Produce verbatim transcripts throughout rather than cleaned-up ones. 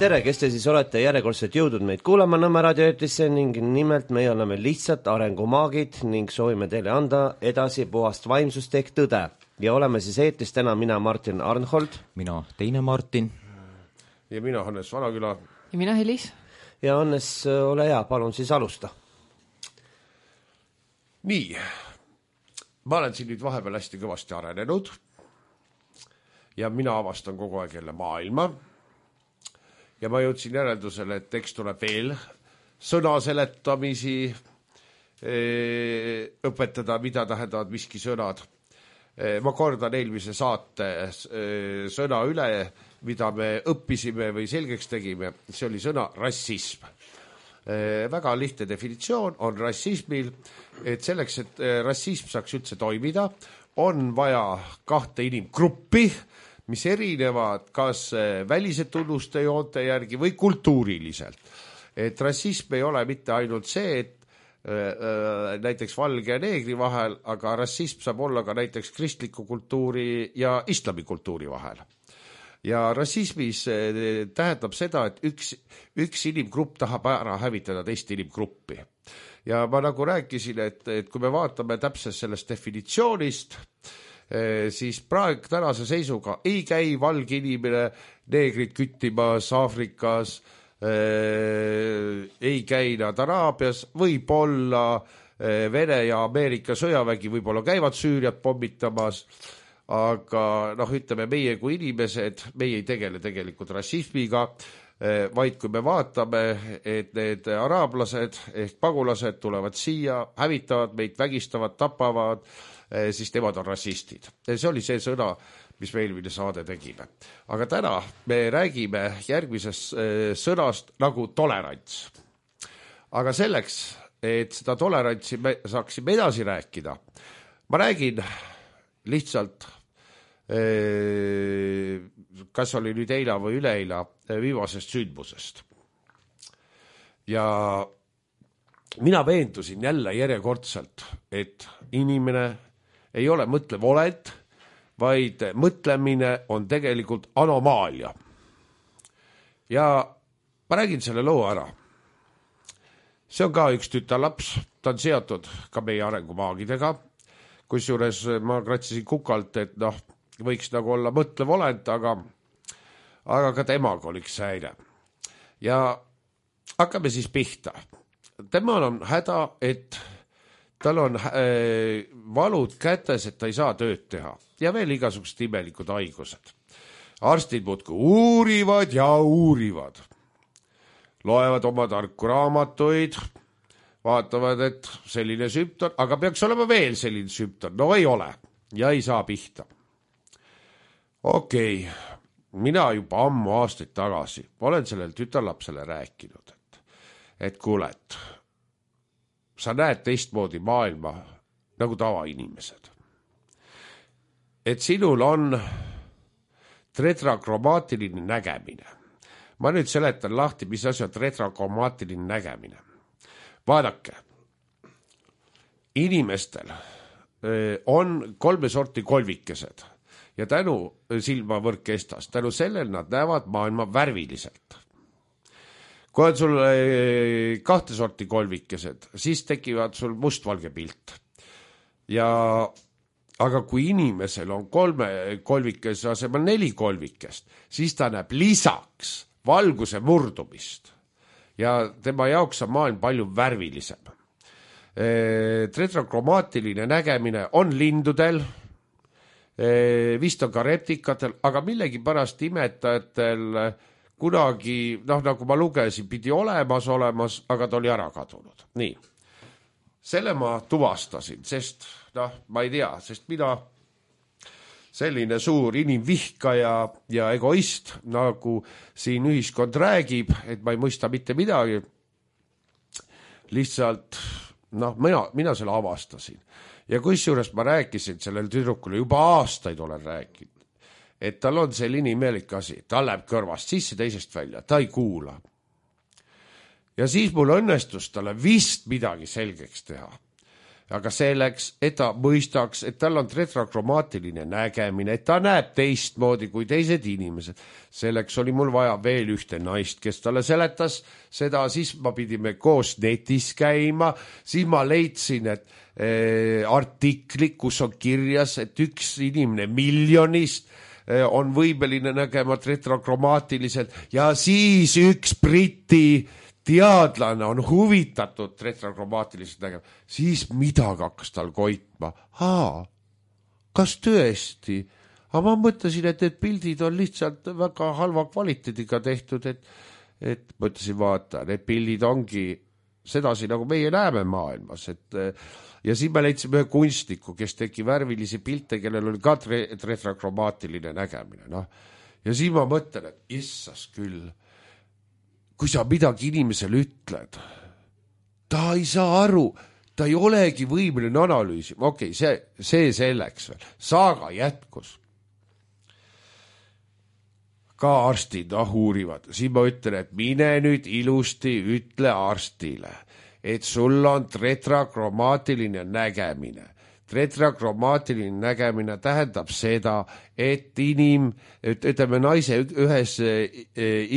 tere, kes te siis olete järjekordselt jõudnud meid kuulama Nõmme raadioeetrisse ning nimelt meie oleme lihtsalt arengumaagid ning soovime teile anda edasi puhast vaimsust ehk tõde. Ja oleme siis eetris täna mina Martin Arnhold. Mina teine Martin. Ja mina Hannes Vanaküla. Ja mina Helis. Ja Hannes, ole hea, palun siis alusta. Nii, ma olen siin nüüd vahepeal hästi kõvasti arenenud ja mina avastan kogu aeg jälle maailma. Ja ma jõudsin järeldusele, et eks tuleb veel sõna seletamisi õpetada, mida tähendavad miski sõnad. Ma kordan eelmise saate sõna üle, mida me õppisime või selgeks tegime. See oli sõna rassism. Väga lihtne definitsioon on rassismil, et selleks, et rassism saaks üldse toimida, on vaja kahte inimgruppi, mis erinevad kas välise tunnuste joonte järgi või kultuuriliselt. Et rassism ei ole mitte ainult see, et äh, näiteks valge ja neegri vahel, aga rassism saab olla ka näiteks kristliku kultuuri ja islamikultuuri vahel. Ja rassismis tähendab seda, et üks, üks inimgrupp tahab ära hävitada teist inimgruppi. Ja ma nagu rääkisin, et, et kui me vaatame täpselt sellest definitsioonist, siis praegu tänase seisuga ei käi valge inimene neegrid küttimas Aafrikas, ei käi nad Araabias, võib-olla Vene ja Ameerika sõjavägi võib-olla käivad Süüriat pommitamas, aga noh, ütleme meie kui inimesed, meie ei tegele tegelikult rassismiga, vaid kui me vaatame, et need araablased ehk pagulased tulevad siia, hävitavad meid, vägistavad, tapavad, siis nemad on rassistid. See oli see sõna, mis me eelmine saade tegime. Aga täna me räägime järgmisest sõnast nagu tolerants. Aga selleks, et seda tolerantsi me saaksime edasi rääkida, ma räägin lihtsalt, kas oli nüüd eila või üleeila viimasest sündmusest. Ja mina veendusin jälle järjekordselt, et inimene ei ole mõtlev olend, vaid mõtlemine on tegelikult anomaalia. Ja ma räägin selle loo ära. See on ka üks tütarlaps, ta on seotud ka meie arengumaagidega, kusjuures ma kratsisin kukalt, et noh, võiks nagu olla mõtlev olend, aga, aga ka temaga oli üks häire. Ja hakkame siis pihta. Temal on häda, et tal on äh, valud kätes, et ta ei saa tööd teha. Ja veel igasugused imelikud haigused. Arstid muudkui uurivad ja uurivad. Loevad oma tarku raamatuid, vaatavad, et selline sümptom, aga peaks olema veel selline sümptom. No ei ole ja ei saa pihta. Okei, mina juba ammu aastaid tagasi olen sellel tütarlapsele rääkinud, et, et kuule, et sa näed teistmoodi maailma nagu tavainimesed. Et sinul on tetrakromaatiline nägemine. Ma nüüd seletan lahti, mis asi on tetrakromaatiline nägemine. Vaadake, inimestel on kolme sorti kolvikesed ja tänu silmavõrkkestas, tänu sellel nad näevad maailma värviliselt. Kui on sul kahte sorti kolvikesed, siis tekivad sul mustvalge pilt. Ja, aga kui inimesel on kolme kolvikese asemel neli kolvikest, siis ta näeb lisaks valguse murdumist. Ja tema jaoks on maailm palju värvilisem. Tetrakromaatiline nägemine on lindudel, vist on ka reptikatel, aga millegi pärast imetajatel kunagi, noh nagu ma lugesin, pidi olemas olemas, aga ta oli ära kadunud. Nii, selle ma tuvastasin, sest, noh, ma ei tea, sest mina selline suur inimvihkaja ja egoist, nagu siin ühiskond räägib, et ma ei mõista mitte midagi. Lihtsalt, noh, mina, mina selle avastasin. Ja kusjuures ma rääkisin sellel tüdrukule, juba aastaid olen rääkinud, et tal on selline imelik asi, ta läheb kõrvast sisse teisest välja, ta ei kuula. Ja siis mul õnnestus talle vist midagi selgeks teha. aga selleks, et ta mõistaks, et tal on tetrakroomaatiline nägemine, et ta näeb teistmoodi kui teised inimesed. Selleks oli mul vaja veel ühte naist, kes talle seletas seda, siis ma pidime koos netis käima, siis ma leidsin, et äh, artikli, kus on kirjas, et üks inimene miljonist äh, on võimeline nägema tetrakroomaatiliselt ja siis üks Briti teadlane on huvitatud tetrakroomaatiliselt nägema, siis midagi hakkas tal koitma. Haa, kas tõesti? Aga ma mõtlesin, et need pildid on lihtsalt väga halva kvaliteediga tehtud, et, et mõtlesin, vaata, need pildid ongi sedasi, nagu meie näeme maailmas. Et, ja siis me leidsime ühe kunstniku, kes tegi värvilisi pilte, kellel oli ka tetrakroomaatiline nägemine. No. Ja siis ma mõtlen, et issas küll, kui sa midagi inimesele ütled, ta ei saa aru, ta ei olegi võimeline analüüsima. Okei, okay, see, see selleks veel. Saaga jätkus. Ka arstid noh, uurivad. Siis ma ütlen, et mine nüüd ilusti ütle arstile, et sul on tetrakroomaatiline nägemine. Tetrakroomaatiline nägemine tähendab seda, et inim, ütleme naise ühes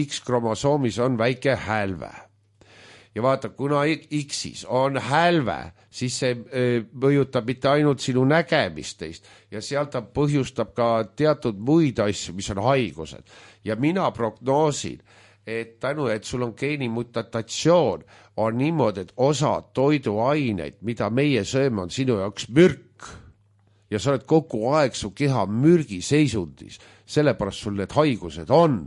X-kromosoomis on väike hälve. Ja vaata, kuna X-is on hälve, siis see mõjutab mitte ainult sinu nägemist teist ja sealt ta põhjustab ka teatud muid asju, mis on haigused. Ja mina prognoosin, et tänu, et sul on geenimutatsioon, on niimoodi, et osa toiduaineid, mida meie sööme, on sinu jaoks mürk. Ja sa oled kogu aeg su keha mürgi seisundis, sellepärast sul need haigused on.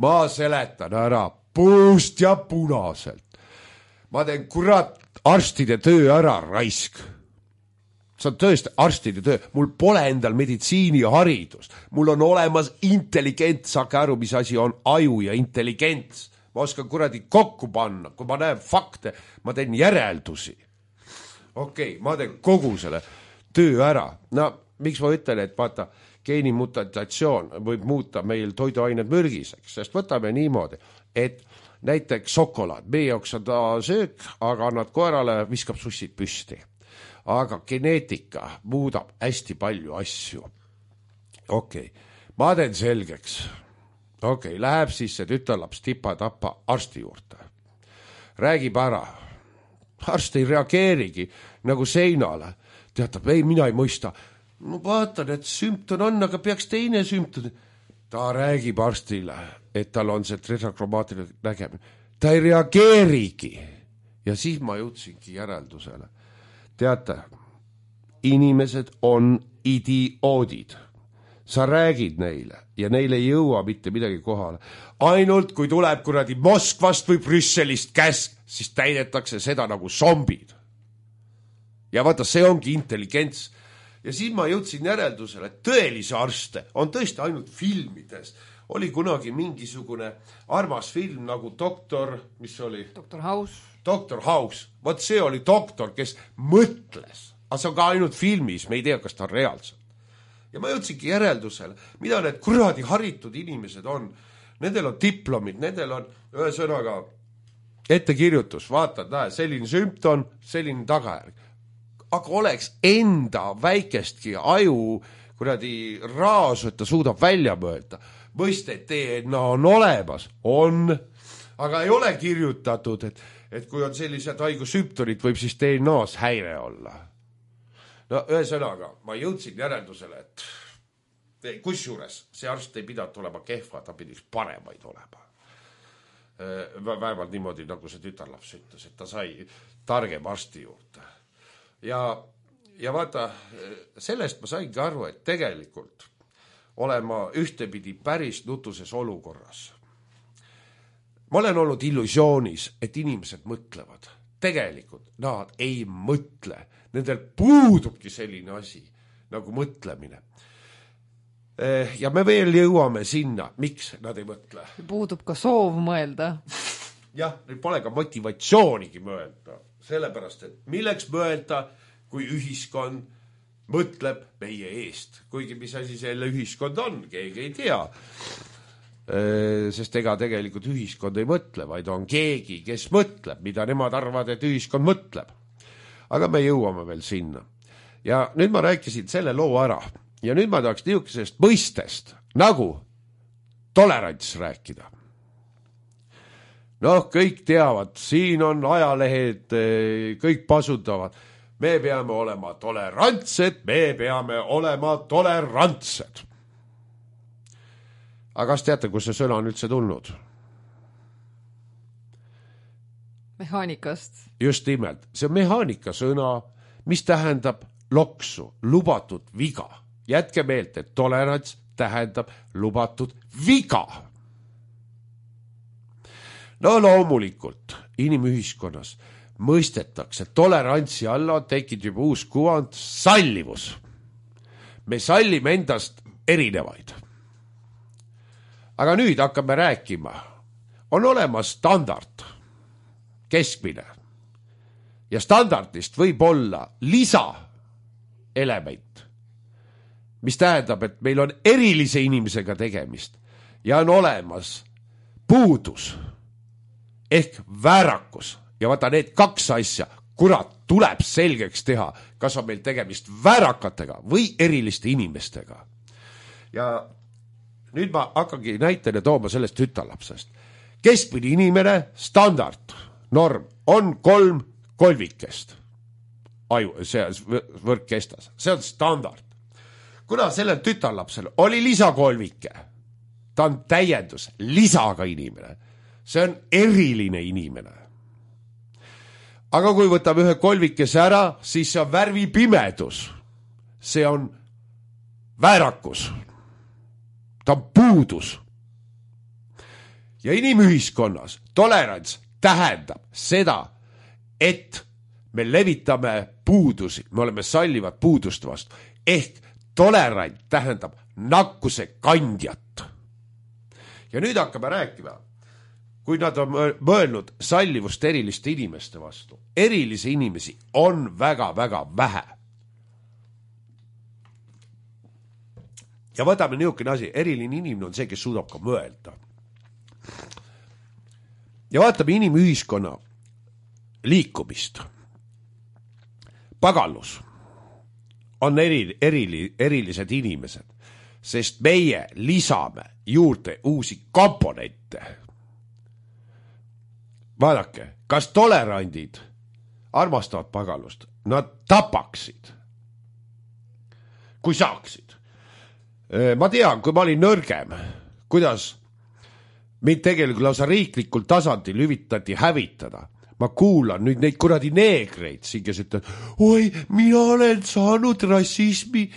Ma seletan ära puust ja punaselt. Ma teen kurat arstide töö ära, raisk. See on tõesti arstide töö. Mul pole endal meditsiiniharidust. Mul on olemas intelligent, saake aru, mis asi on aju ja intelligents. Ma oskan kuradi kokku panna. Kui ma näen fakte, ma teen järeldusi. Okei, okay, ma teen kogu selle töö ära. No, miks ma ütlen, et vaata, geenimutatsioon võib muuta meil toiduained mürgiseks, sest võtame niimoodi, et näiteks šokolaad, meie jaoks on ta söök, aga annad koerale, viskab sussid püsti. Aga geneetika muudab hästi palju asju. Okei, okay. Ma teen selgeks. Okei, okay. Läheb siis see tütarlaps tipa-tapa arsti juurde. Räägib ära. Arst ei reageerigi nagu seinale. Teatab, ei, mina ei mõista. No vaatan, et sümptom on, aga peaks teine sümptom. Ta räägib arstile, et tal on see tetrakroomaatiline nägemine. Ta ei reageerigi. Ja siis ma jõudsingi järeldusele. Teate, inimesed on idioodid. Sa räägid neile ja neile ei jõua mitte midagi kohale. Ainult kui tuleb kuradi Moskvast või Brüsselist käsk, siis täidetakse seda nagu zombid. Ja vaata, see ongi intelligents. Ja siis ma jõudsin järeldusele, et tõelise arste on tõesti ainult filmides. Oli kunagi mingisugune armas film nagu doktor, mis oli? Doktor House. Doktor House. Vot see oli doktor, kes mõtles. Aga see on ka ainult filmis, me ei tea, kas ta on reaalselt. Ja ma jõudsingi järeldusele, mida need kuradi haritud inimesed on. Nendel on diplomid, nendel on ühesõnaga ettekirjutus. Vaatad, näe, selline sümptom, selline tagajärg. Aga oleks enda väikestki aju kuradi raasu, et ta suudab välja mõelda. Mõiste, et D N A on olemas, on, aga ei ole kirjutatud, et, et kui on sellised haigussümptomid, võib siis D N A-s häire olla. No ühesõnaga, ma jõudsin järeldusele, et kusjuures see arst ei pidanud olema kehva, ta pidis paremaid olema. Vähemalt niimoodi, nagu see tütarlaps ütles, et ta sai targem arsti juurde. Ja, ja vaata, sellest ma saingi aru, et tegelikult olen ma ühtepidi päris nutuses olukorras. Ma olen olnud illusioonis, et inimesed mõtlevad. Tegelikult nad ei mõtle. Nendel puudubki selline asi nagu mõtlemine. Ja me veel jõuame sinna, miks nad ei mõtle. Puudub ka soov mõelda. Jah, neil pole ka motivatsioonigi mõelda. Sellepärast, et milleks mõelda, kui ühiskond mõtleb meie eest. Kuigi mis asi selle ühiskond on, keegi ei tea. Sest ega tegelikult ühiskond ei mõtle, vaid on keegi, kes mõtleb, mida nemad arvavad, et ühiskond mõtleb. aga me jõuame veel sinna. Ja nüüd ma rääkisin selle loo ära ja nüüd ma tahaks niisugusest mõistest nagu tolerants rääkida. Noh, kõik teavad, siin on ajalehed, kõik pasutavad. Me peame olema tolerantsed, me peame olema tolerantsed. Aga kas teate, kus see sõna on üldse tulnud? Mehaanikast. Just nimelt. See on mehaanika sõna, mis tähendab loksu, lubatud viga. Jätke meelt, et tolerants tähendab lubatud viga. No loomulikult inimühiskonnas mõistetakse tolerantsi alla tekib juba uus kuvand sallivus. Me sallime endast erinevaid. Aga nüüd hakkame rääkima. On olemas standard, keskmine. Ja standardist võib olla lisaelement, mis tähendab, et meil on erilise inimesega tegemist ja on olemas puudus ehk väärakus. Ja vaata need kaks asja, kurat, tuleb selgeks teha, kas on meil tegemist väärakatega või eriliste inimestega. Ja nüüd ma hakkangi näitena tooma sellest tütarlapsest. Keskmine inimene, standard, norm, on kolm kolvikest. Aju, see võrk kestas. See on standard. Kuna sellel tütarlapsel oli lisakolvike, ta on täiendus, lisaga inimene. See on eriline inimene. Aga kui võtab ühe kolvikese ära, siis see on värvipimedus. See on väärakus. Ta on puudus. Ja inimühiskonnas tolerants tähendab seda, et me levitame puudusi, me oleme sallivad puudust vastu. Ehk tolerant tähendab nakkuse kandjat. Ja nüüd hakkame rääkima, kui nad on mõelnud sallivust eriliste inimeste vastu. Erilisi inimesi on väga-väga vähe. Ja võtame niisugune asi, eriline inimene on see, kes suudab ka mõelda. Ja vaatame inimühiskonna liikumist. Pagallus on eri, erili, erilised inimesed, sest meie lisame juurde uusi komponente. Vaadake, kas tolerandid armastavad pagallust? Nad tapaksid, kui saaksid. Ma tean, kui ma olin nõrgem, kuidas mind tegelikult lausa riiklikul tasandil hüvitati hävitada. Ma kuulan nüüd neid kuradi neegreid siin, kes ütlevad, oi, mina olen saanud rassismi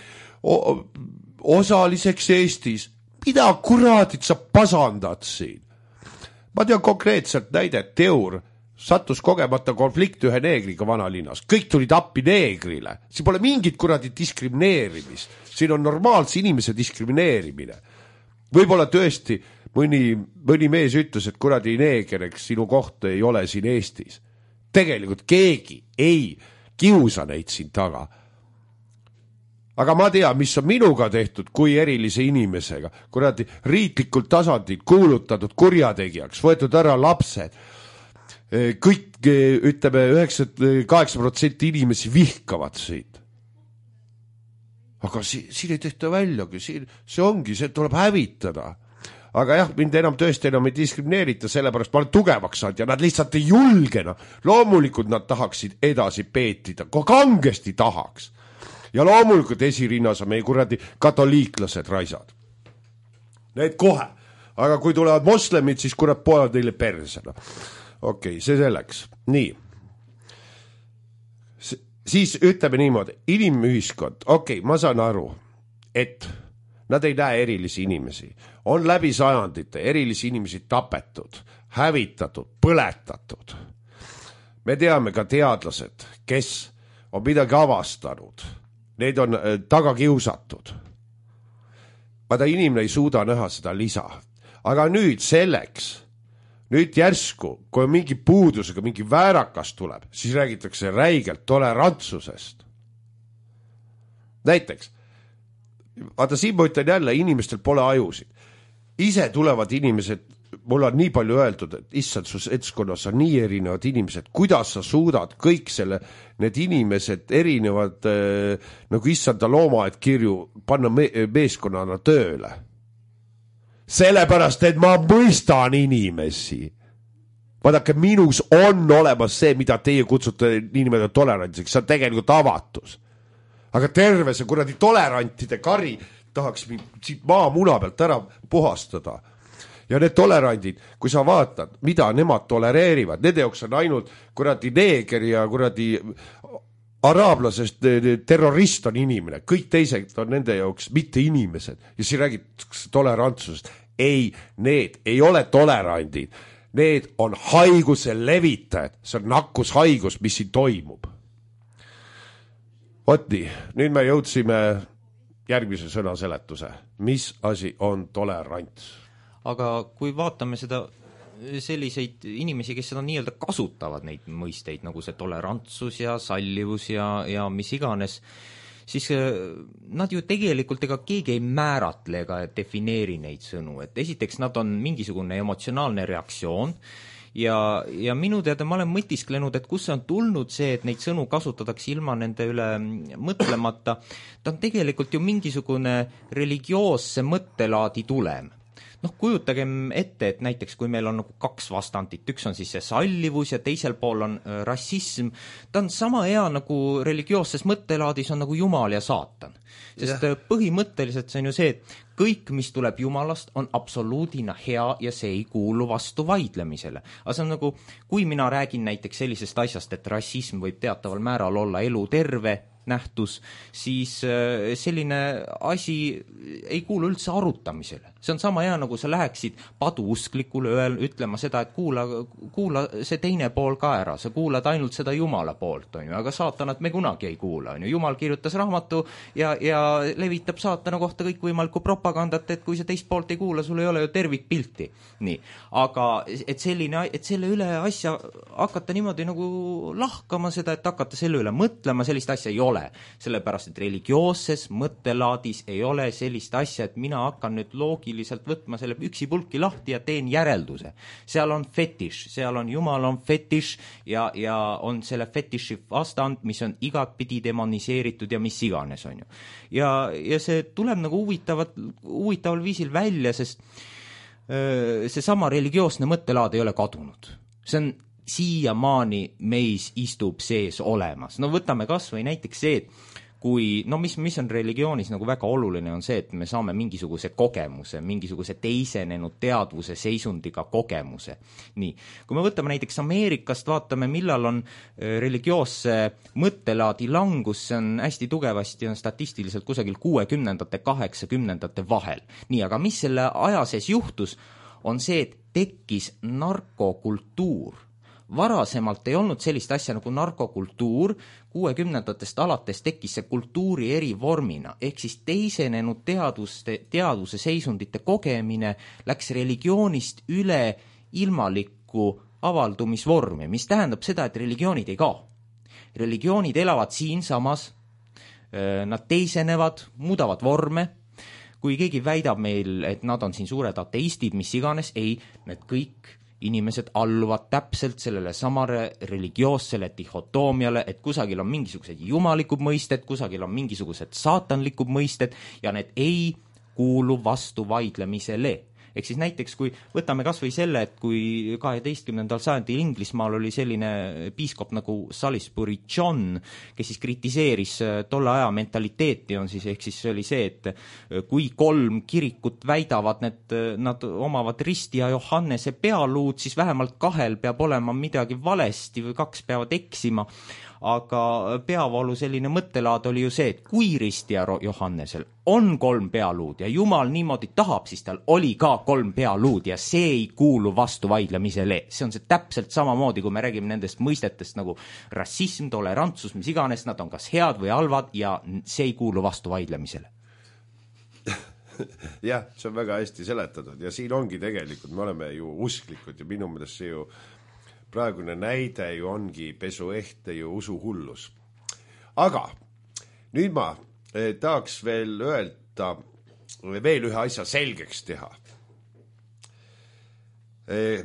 osaliseks Eestis. Mida kuradid sa pasandad siin? Ma tean konkreetselt näidet, Teur sattus kogemata konflikt ühe neegriga vanalinnas. Kõik tulid appi neegrile. Siin pole mingit kuradi diskrimineerimist. Siin on normaalse inimese diskrimineerimine. Võib-olla tõesti mõni, mõni mees ütles, et kuradi neeger, eks sinu koht ei ole siin Eestis. Tegelikult keegi ei kiusa neid siin taga. Aga ma tean, mis on minuga tehtud kui erilise inimesega. Kuradi riiklikult tasandil kuulutatud kurjategijaks, võetud ära lapsed. Kõik, ütleme, üheksakümmend kaheksa protsenti inimesi vihkavad siit. Aga siin, siin ei tehta väljagi, siin, see ongi, see tuleb hävitada. Aga jah, mind enam tõesti enam ei diskrimineerita, sellepärast ma olen tugevaks saanud ja nad lihtsalt ei julgena. Loomulikult nad tahaksid edasi peetida, kui kangesti tahaks. Ja loomulikult esirinnas on meie kuradi katoliiklased raisad. Need kohe. Aga kui tulevad moslemid, siis kurat poevad neile persena. Okei, okay, see selleks. Nii. Siis ütleme niimoodi, inimühiskond, okei, okay, ma saan aru, et nad ei näe erilisi inimesi. On läbi sajandite erilisi inimesi tapetud, hävitatud, põletatud. Me teame ka teadlased, kes on midagi avastanud. Need on taga kiusatud. Vaata, inimene ei suuda näha seda lisa. Aga nüüd selleks, nüüd järsku, kui mingi puudusega, mingi väärakas tuleb, siis räägitakse räigelt tolerantsusest. Näiteks, vaata siin ma ütlen jälle, inimestel pole ajusid. Ise tulevad inimesed mul on nii palju öeldud, et issand, su seltskonnas on nii erinevad inimesed, kuidas sa suudad kõik selle, need inimesed erinevad äh, nagu issanda loomaed kirju panna me meeskonnana tööle. Sellepärast, et ma mõistan inimesi. Vaadake, minus on olemas see, mida teie kutsute inimede tolerantsiks, see on tegelikult avatus. Aga terve see kuradi tolerantide kari tahaks siit maa muna pealt ära puhastada. Ja need tolerandid, kui sa vaatad, mida nemad tolereerivad, nende jaoks on ainult kuradi neeger ja kuradi araablasest terrorist on inimene, kõik teised on nende jaoks mitte inimesed ja siin räägitakse tolerantsusest. Ei, need ei ole tolerandid, need on haiguse levitajad, see on nakkushaigus, mis siin toimub. Vot nii, nüüd me jõudsime järgmise sõna seletuse, mis asi on tolerants. Aga kui vaatame seda selliseid inimesi, kes seda nii-öelda kasutavad neid mõisteid, nagu see tolerantsus ja sallivus ja, ja mis iganes, siis nad ju tegelikult ega keegi ei määratle ega defineeri neid sõnu. Et esiteks nad on mingisugune emotsionaalne reaktsioon ja, ja minu teada ma olen mõtisklenud, et kus on tulnud see, et neid sõnu kasutatakse ilma nende üle mõtlemata. Ta on tegelikult ju mingisugune religioosse mõttelaadi tulem. Noh, kujutagem ette, et näiteks kui meil on nagu kaks vastandit, üks on siis see sallivus ja teisel pool on äh, rassism, ta on sama hea nagu religioosses mõttelaadis on nagu Jumal ja saatan. Sest yeah. põhimõtteliselt see on ju see, et kõik, mis tuleb Jumalast, on absoluudina hea ja see ei kuulu vastu vaidlemisele. Aga see on nagu, kui mina räägin näiteks sellisest asjast, et rassism võib teataval määral olla elu terve nähtus, siis selline asi ei kuulu üldse arutamisele. See on sama hea, nagu sa läheksid paduusklikule öel, ütlema seda, et kuula, kuula see teine pool ka ära, sa kuulad ainult seda Jumala poolt, on ju, aga saatanat me kunagi ei kuula, on ju. Jumal kirjutas raamatu ja, ja levitab saatana kohta kõikvõimalikku propagandat, et kui sa teist poolt ei kuula, sul ei ole ju tervikpilti. Nii. Aga et, selline, et selle üle asja hakata niimoodi nagu lahkama seda, et hakata selle üle mõtlema, sellist asja ei ole. Sellepärast, et religioosses mõttelaadis ei ole sellist asja, et mina hakkan nüüd loogiliselt võtma selle üksi pulki lahti ja teen järelduse. Seal on fetiš, seal on Jumal on fetiš ja, ja on selle fetiši vastand, mis on igatpidi demoniseeritud ja mis iganes on ju. Ja, ja see tuleb nagu huvitavat, huvitaval viisil välja, sest öö, see sama religioosne mõttelaad ei ole kadunud. See on siiamaani meis istub sees olemas. No võtame kas või näiteks see, et kui, no mis, mis on religioonis nagu väga oluline on see, et me saame mingisuguse kogemuse, mingisuguse teisenenud teadvuse seisundiga kogemuse. Nii, kui me võtame näiteks Ameerikast, vaatame, millal on religioosse mõttelaadi langus, see on hästi tugevasti, on statistiliselt kusagil kuuekümnendate, kaheksakümnendate vahel. Nii, aga mis selle aja sees juhtus, on see, et tekkis narkokultuur. Varasemalt ei olnud sellist asja nagu narkokultuur, kuuekümnendatest alates tekkis see kultuuri eri vormina, ehk siis teisenenud teaduste, teaduse seisundite kogemine läks religioonist üle ilmalikku avaldumisvormi, mis tähendab seda, et religioonid ei kao. Religioonid elavad siinsamas, nad teisenevad, muudavad vorme. Kui keegi väidab meil, et nad on siin suured ateistid, mis iganes, ei, need kõik inimesed alluvad täpselt sellele samare religioossele dihotoomiale, et kusagil on mingisugused jumalikud mõisted, kusagil on mingisugused saatanlikud mõisted ja need ei kuulu vastu vaidlemisele. Ehk siis näiteks, kui võtame kas või selle, et kui kaheteistkümnendal sajandil Inglismaal oli selline piiskop nagu Salisbury John, kes siis kritiseeris tolle aja mentaliteeti, on siis, ehk siis see oli see, et kui kolm kirikut väidavad, need, nad omavad Risti ja Johannese pealuud, siis vähemalt kahel peab olema midagi valesti või kaks peavad eksima. Aga peavoolu selline mõttelaad oli ju see, et kui Risti ja Johannesel on kolm pealuud ja Jumal niimoodi tahab, siis tal oli ka kolm pealuud ja see ei kuulu vastu vaidlemisele. See on see täpselt samamoodi, kui me räägime nendest mõistetest nagu rassism, tolerantsus, mis iganes, nad on kas head või halvad ja see ei kuulu vastu vaidlemisele. Jah, see on väga hästi seletatud ja siin ongi tegelikult, me oleme ju usklikud ja minu meelest see ju praegune näide ju ongi pesuehte ju usuhullus. Aga nüüd ma eh, tahaks veel öelda, veel ühe asja selgeks teha.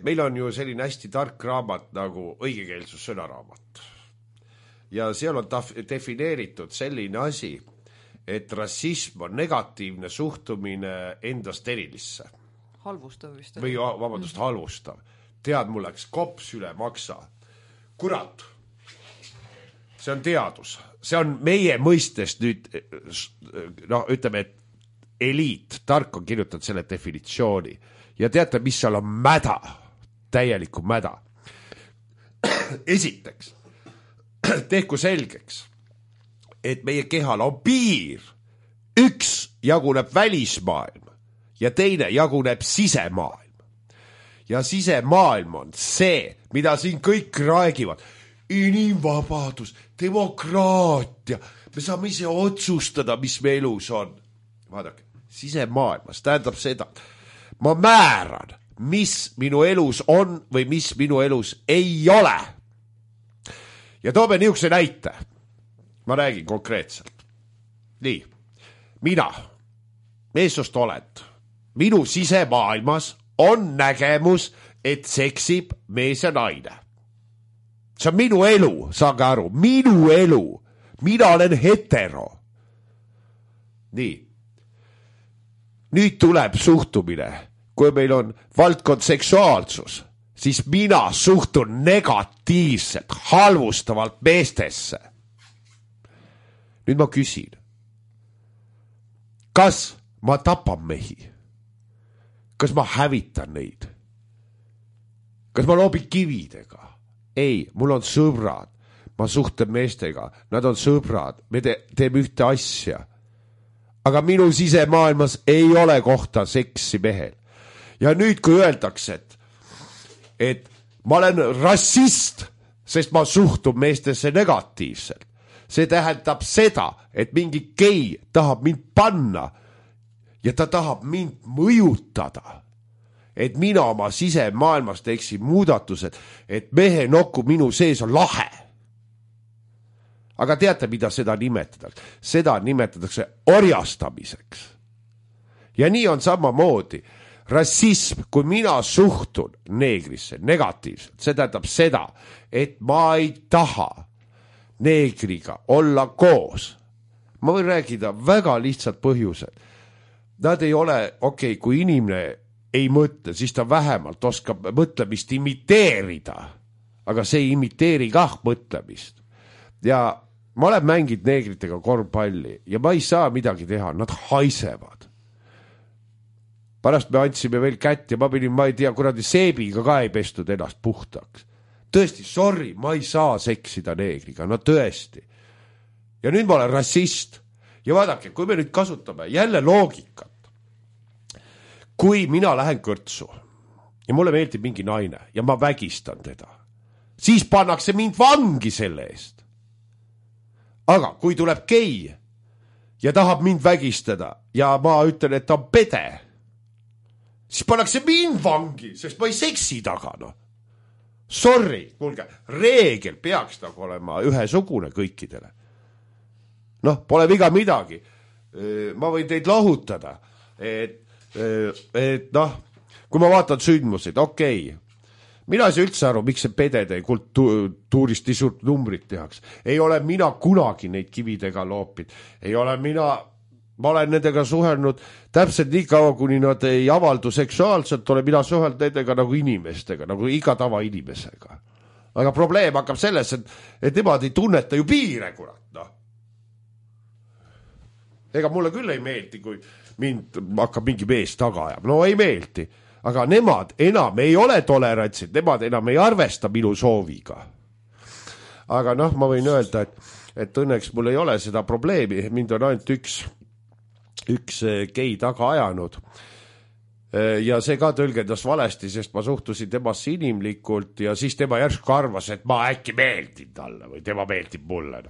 meil on ju selline hästi tark raamat nagu õigekeelsus sõnaraamat. Ja seal on taf- defineeritud selline asi, et rassism on negatiivne suhtumine endast erilisse. Halvustav vist. Või vabandust, halvustav. Tead, mul läks kops üle maksa. Kurat, see on teadus. See on meie mõistest nüüd, noh, ütleme, et eliit, tark on kirjutanud selle definitsiooni. Ja teate, mis seal on mäda, täieliku mäda. Esiteks, tehku selgeks, et meie kehal on piir. Üks jaguneb välismaailm ja teine jaguneb sisemaailm. Ja sisemaailm on see, mida siin kõik räägivad. Inimvabadus, demokraatia, me saame ise otsustada, mis me elus on. Vaadake, sisemaailmas tähendab seda, ma määran, mis minu elus on või mis minu elus ei ole. Ja toome niisuguse näite. Ma räägin konkreetselt. Nii, mina, meessoost oled, minu sisemaailmas on nägemus, et seksib mees ja naine. See on minu elu, saage aru, minu elu. Mina olen hetero. Nii. Nüüd tuleb suhtumine. Kui meil on valdkond seksuaalsus, siis mina suhtun negatiivselt, halvustavalt meestesse. Nüüd ma küsin. Kas ma tapan mehi? Kas ma hävitan neid? Kas ma loobin kividega? Ei, mul on sõbrad, ma suhtlen meestega, nad on sõbrad, me te- teeme ühte asja. Aga minu sisemaailmas ei ole kohta seksi mehel. Ja nüüd, kui öeldakse, et, et ma olen rassist, sest ma suhtun meestesse negatiivselt, see tähendab seda, et mingi gei tahab mind panna ja ta tahab mind mõjutada. Et mina oma sisemaailmas teeksin muudatused, et mehe nokku minu sees on lahe. Aga teate, mida seda nimetatakse? Seda nimetatakse orjastamiseks. Ja nii on samamoodi. Rassism, kui mina suhtun neegrisse negatiivselt, see tähendab seda, et ma ei taha neegriga olla koos. Ma võin rääkida väga lihtsalt põhjused. Nad ei ole, okei, okay, kui inimene ei mõtle, siis ta vähemalt oskab mõtlemist imiteerida. Aga see ei imiteeri kah mõtlemist. Ja ma olen mänginud neegritega korvpalli ja ma ei saa midagi teha, nad haisevad. Pärast me andsime veel kätt ja ma pidin, ma ei tea, kuradi seebiga ka ei pestud ennast puhtaks. Tõesti, sorry, ma ei saa seksida neegriga, no tõesti. Ja nüüd ma olen rassist. Ja vaadake, kui me nüüd kasutame jälle loogikat, kui mina lähen kõrtsu ja mulle meeldib mingi naine ja ma vägistan teda, siis pannakse mind vangi selle eest. Aga kui tuleb gei ja tahab mind vägistada ja ma ütlen, et ta on pede, siis pannakse mind vangi, sest ma ei seksi taga. No. Sorry, kuulge, reegel peaks nagu olema ühesugune kõikidele. Noh, pole viga midagi. Ma võin teid lahutada, et et noh, kui ma vaatan sündmuseid, okei, okay. Mina ei saa üldse aru, miks see pedede kultuurist nii suurt numbrit tehaks. Ei ole mina kunagi neid kividega loopid. Ei ole mina, ma olen nendega suhelnud täpselt nii kaua, kuni nad ei avaldu seksuaalselt, olen mina suhelnud nendega nagu inimestega, nagu iga tava inimesega. Aga probleem hakkab selles, et, et nemad ei tunneta ju piire, kurat, noh. Ega mulle küll ei meeldi, kui mind hakkab mingi mees taga ajab. No ei meeldi. Aga nemad enam ei ole tolerantsid, nemad enam ei arvesta minu sooviga. Aga noh, ma võin öelda, et, et õnneks mul ei ole seda probleemi. Mind on ainult üks, üks gei taga ajanud. Ja see ka tõlgendas valesti, sest ma suhtusin temasse inimlikult ja siis tema järsku arvas, et ma äkki meeldin talle või tema meeldib mulle.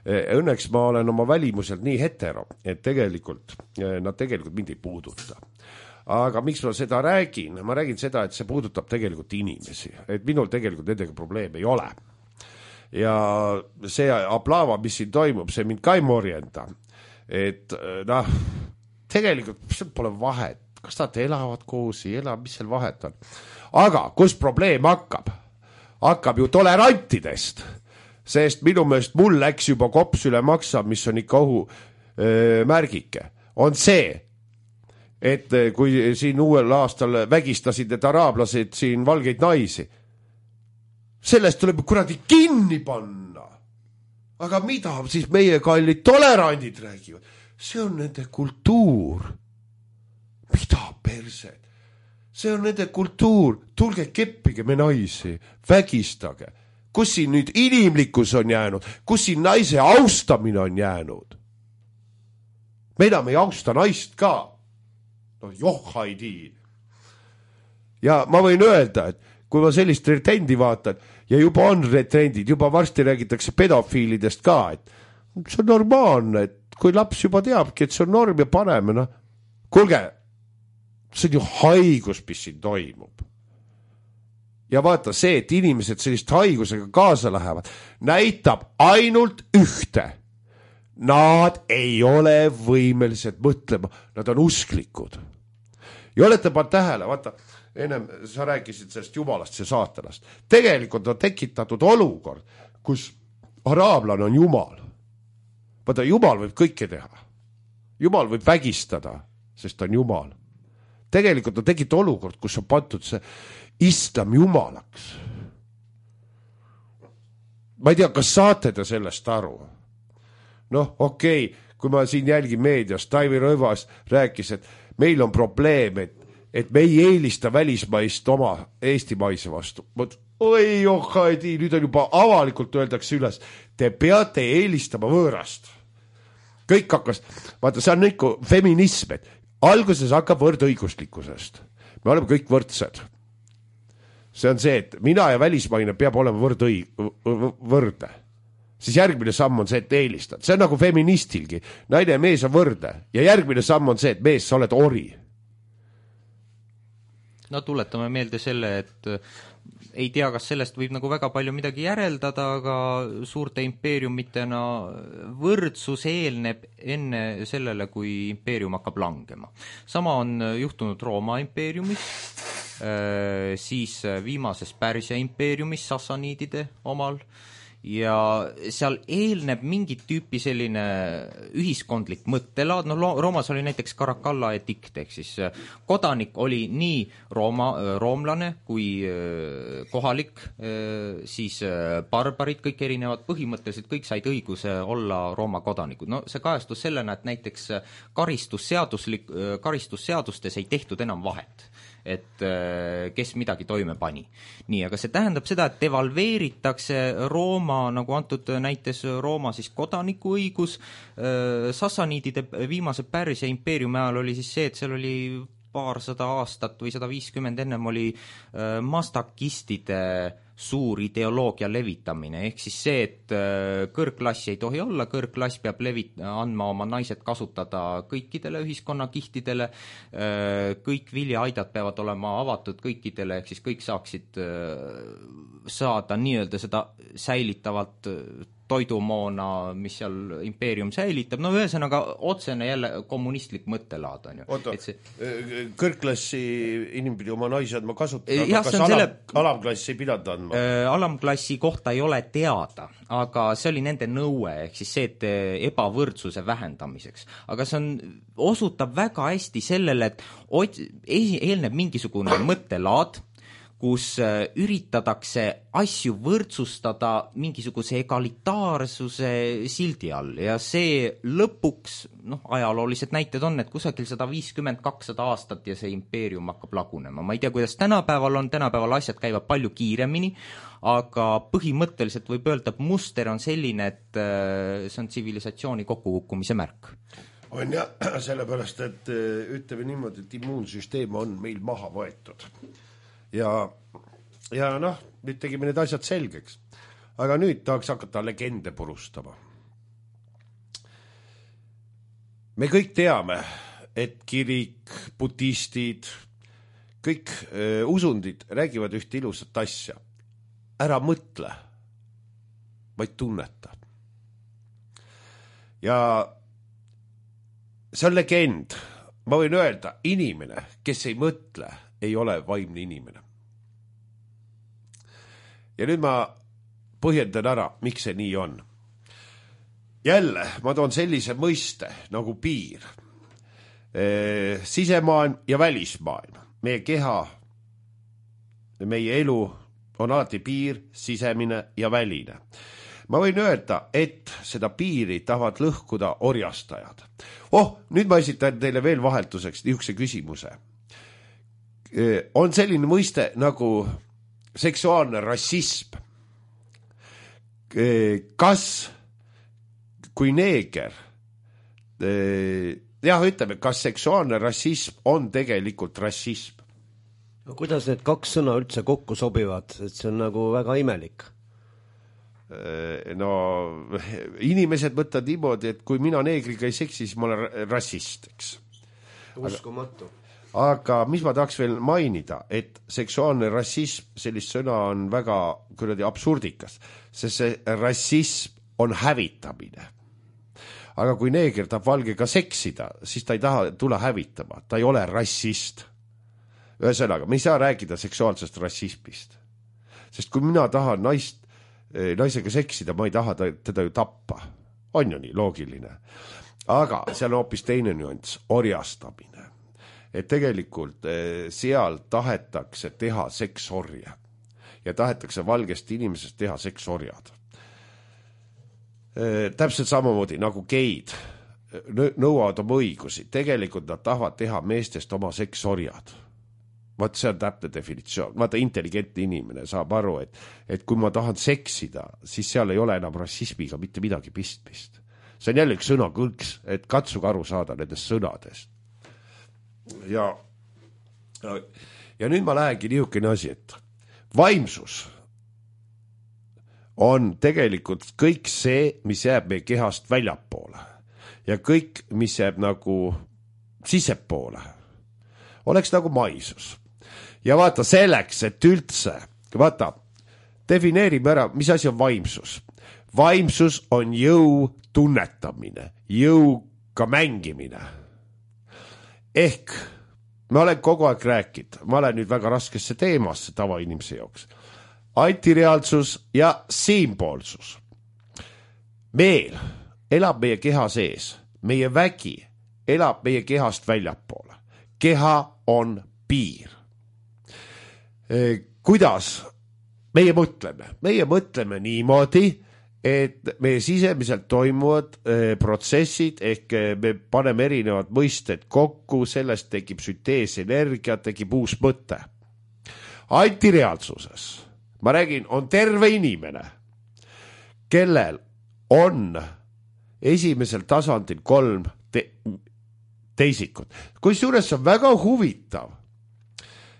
Õnneks ma olen oma välimuselt nii hetero, et tegelikult nad tegelikult mind ei puuduta. Aga miks ma seda räägin? Ma räägin seda, et see puudutab tegelikult inimesi, et minul tegelikult nendega probleeme ei ole. Ja see aplaava, mis siin toimub, see mind ka ei morjenda. Et noh, tegelikult pole vahet, kas nad elavad koos, ei ela, mis seal vahet on. Aga kus probleem hakkab? Hakkab ju tolerantidest, sest minu meelest mul läks juba kops üle maksa, mis on ikka ohu öö, märgike, on see, et kui siin uuel aastal vägistasid need araablased siin valgeid naisi, sellest tuleb kuradi kinni panna. Aga mida siis meie kallid tolerandid räägivad? See on nende kultuur. Mida persed? See on nende kultuur. Tulge keppige me naisi, vägistage. Kus siin nüüd inimlikkus on jäänud? Kus siin naise austamine on jäänud? Me enam ei austa naist ka. No joh, haidi. Ja ma võin öelda, et kui ma sellist trendi vaatan, ja juba on trendid, juba varsti räägitakse pedofiilidest ka, et see on normaalne, et kui laps juba teabki, et see on norm ja paneme, no kuulge, see on ju haigus, mis siin toimub. Ja vaata see, et inimesed sellist haigusega kaasa lähevad, näitab ainult ühte. Nad ei ole võimelised mõtlema, nad on usklikud. Ja olete pannud tähele, vaata, ennem sa rääkisid sellest jumalast ja saatanast. Tegelikult on tekitatud olukord, kus araablane on jumal. Vaata, jumal võib kõike teha. Jumal võib vägistada, sest on jumal. Tegelikult on tekitatud olukord, kus on pandud see islam jumalaks. Ma ei tea, kas saate te sellest aru? Noh, okei, okay, kui ma siin jälgin meedias, Taivi Rõivas rääkis, et meil on probleem, et et me ei eelista välismaist oma eestimaise vastu. Oi, ohhaidi, nüüd on juba avalikult öeldakse üles, te peate eelistama võõrast. Kõik hakkas, vaata, see on ikka feminism, et alguses hakkab võrdõiguslikkusest. Me oleme kõik võrdsed. See on see, et mina ja välismaine peab olema võrdõig, võrdne. Siis järgmine samm on see, et eelistad. See on nagu feministilgi. Naine ja mees on võrdne. Ja järgmine samm on see, et mees, sa oled ori. No tuletame meelde selle, et ei tea, kas sellest võib nagu väga palju midagi järeldada, aga suurte impeeriumitena võrdsus eelneb enne sellele, kui impeerium hakkab langema. Sama on juhtunud Rooma impeeriumis, siis viimases Pärsia impeeriumis Sassaniidide omal, ja seal eelneb mingit tüüpi selline ühiskondlik mõttelaad, no Roomas oli näiteks Caracalla edikt, ehk siis kodanik oli nii Rooma, roomlane kui kohalik, siis barbarid, kõik erinevad, põhimõtteliselt kõik said õiguse olla Rooma kodanikud. No see kajastus sellena, et näiteks karistusseaduslik, karistusseadustes ei tehtud enam vahet, et kes midagi toime pani. Nii, aga see tähendab seda, et devalveeritakse Rooma, nagu antud näites Rooma siis kodanikuõigus. Sassaniidide viimase Pärsia impeeriumi ajal oli siis see, et seal oli paarsada aastat või sada viiskümmend ennem oli mastakistide suur ideoloogia levitamine, ehk siis see, et kõrgklassi ei tohi olla, kõrgklass peab levit- andma oma naised kasutada kõikidele ühiskonnakihtidele, kõik viljahaidad peavad olema avatud kõikidele, ehk siis kõik saaksid saada nii-öelda seda säilitavat toidumoona, mis seal impeerium säilitab, no ühesõnaga otsene jälle kommunistlik mõttelaad on ju. Oota, see... kõrgklassi inimpidi oma naisi andma kasutada, ja, kas alam, selle... alamklassi ei pidanud andma? Äh, alamklassi kohta ei ole teada, aga see oli nende nõue, ehk siis see, et ebavõrdsuse vähendamiseks. Aga see on, osutab väga hästi sellele, et ot, eelneb mingisugune mõttelaad, kus üritatakse asju võrdsustada mingisuguse egalitaarsuse sildi all ja see lõpuks, noh, ajaloolised näited on, et kusagil sada viiskümmend kakssada aastat ja see impeerium hakkab lagunema. Ma ei tea, kuidas tänapäeval on, tänapäeval asjad käivad palju kiiremini, aga põhimõtteliselt võib öelda, et muster on selline, et see on tsivilisatsiooni kokkukukkumise märk. On ja sellepärast, et ütleme niimoodi, et immuunsüsteem on meil maha võetud. Ja, ja noh, nüüd tegime need asjad selgeks. Aga nüüd tahaks hakata legende purustama. Me kõik teame, et kirik, budistid, kõik äh, usundid räägivad ühte ilusat asja. Ära mõtle, vaid tunneta. Ja see on legend. ma võin öelda, inimene, kes ei mõtle, ei ole vaimne inimene. Ja nüüd ma põhjendan ära, miks see nii on. Jälle, ma toon sellise mõiste nagu piir. E, sisemaailm ja välismaailm. Meie keha, meie elu on alati piir, sisemine ja väline. Ma võin öelda, et seda piiri tahavad lõhkuda orjastajad. Oh, nüüd ma esitan teile veel vahetuseks niisuguse küsimuse. On selline mõiste nagu seksuaalne rassism. Kas, kui neeger, jah, ütleme, kas seksuaalne rassism on tegelikult rassism? No, kuidas need kaks sõna üldse kokku sobivad, et see on nagu väga imelik? No inimesed võtavad niimoodi, et kui mina neegriga ei seksi, siis ma olen rassist, eks. Uskumatu. Aga mis ma tahaks veel mainida, et seksuaalne rassism, sellist sõna on väga kuradi absurdikas, sest see rassism on hävitamine. Aga kui neeger tahab valgega seksida, siis ta ei taha tule hävitama, ta ei ole rassist. Ühesõnaga, me ei saa rääkida seksuaalsest rassismist, sest kui mina tahan naist naisega seksida, ma ei taha teda ju tappa. On ju nii loogiline. Aga seal on hoopis teine nüanss, orjastamine. Et tegelikult seal tahetakse teha seksorja ja tahetakse valgest inimesest teha seksorjad. Täpselt samamoodi nagu geid nõuavad oma õigusi. Tegelikult nad tahavad teha meestest oma seksorjad. Vaat see on täpne definitsioon. Vaata, intelligentne inimene saab aru, et, et kui ma tahan seksida, siis seal ei ole enam rassismiga mitte midagi pistmist. See on jälle üks sõnakõlks, et katsuge aru saada nendest sõnadest. Ja, ja nüüd ma lähengi niisugune asi, et vaimsus on tegelikult kõik see, mis jääb meie kehast väljapoole ja kõik, mis jääb nagu sisepoole, oleks nagu maisus. Ja vaata selleks, et üldse, vaata, defineerime ära, mis asi on vaimsus. Vaimsus on jõu tunnetamine, jõuga mängimine. Ehk, ma olen kogu aeg rääkinud, ma olen nüüd väga raskesse teemasse tavainimese jooks. Antireaalsus ja siinpoolsus. Meel elab meie keha sees, meie vägi elab meie kehast väljapoole. Keha on piir. Kuidas meie mõtleme? Meie mõtleme niimoodi, et meie sisemiselt toimuvad protsessid, ehk me paneme erinevad mõisted kokku, sellest tekib sünteesenergia, tekib uus mõte. Antireaalsuses, ma räägin, on terve inimene, kellel on esimesel tasandil kolm te teisikut. Kusjuures on väga huvitav,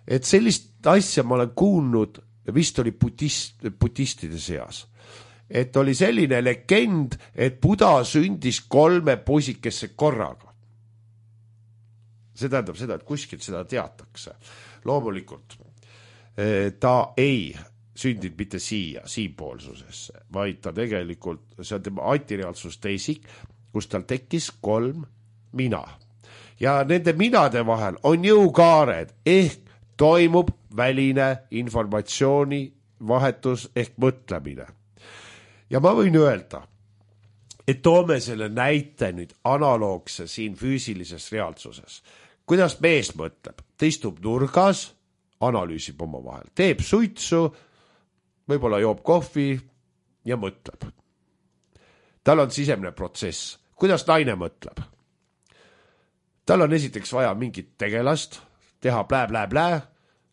et sellist asja ma olen kuulnud, vist oli budist, budistide seas, et oli selline legend, et Buda sündis kolme poisikesse korraga. See tähendab seda, et kuskilt seda teatakse. Loomulikult ta ei sündinud mitte siia, siinpoolsusesse, vaid ta tegelikult, see on tema antireaalsus teisik, kus tal tekkis kolm mina. Ja nende minade vahel on jõukaared, ehk toimub väline informatsiooni vahetus ehk mõtlemine. Ja ma võin öelda, et toome selle näite nüüd analoogse siin füüsilises reaalsuses. Kuidas mees mõtleb? Ta istub nurgas, analüüsib oma vahel, teeb suitsu, võib-olla joob kohvi ja mõtleb. Tal on sisemine protsess. Kuidas naine mõtleb? Tal on esiteks vaja mingit tegelast, teha plää, plää, plää,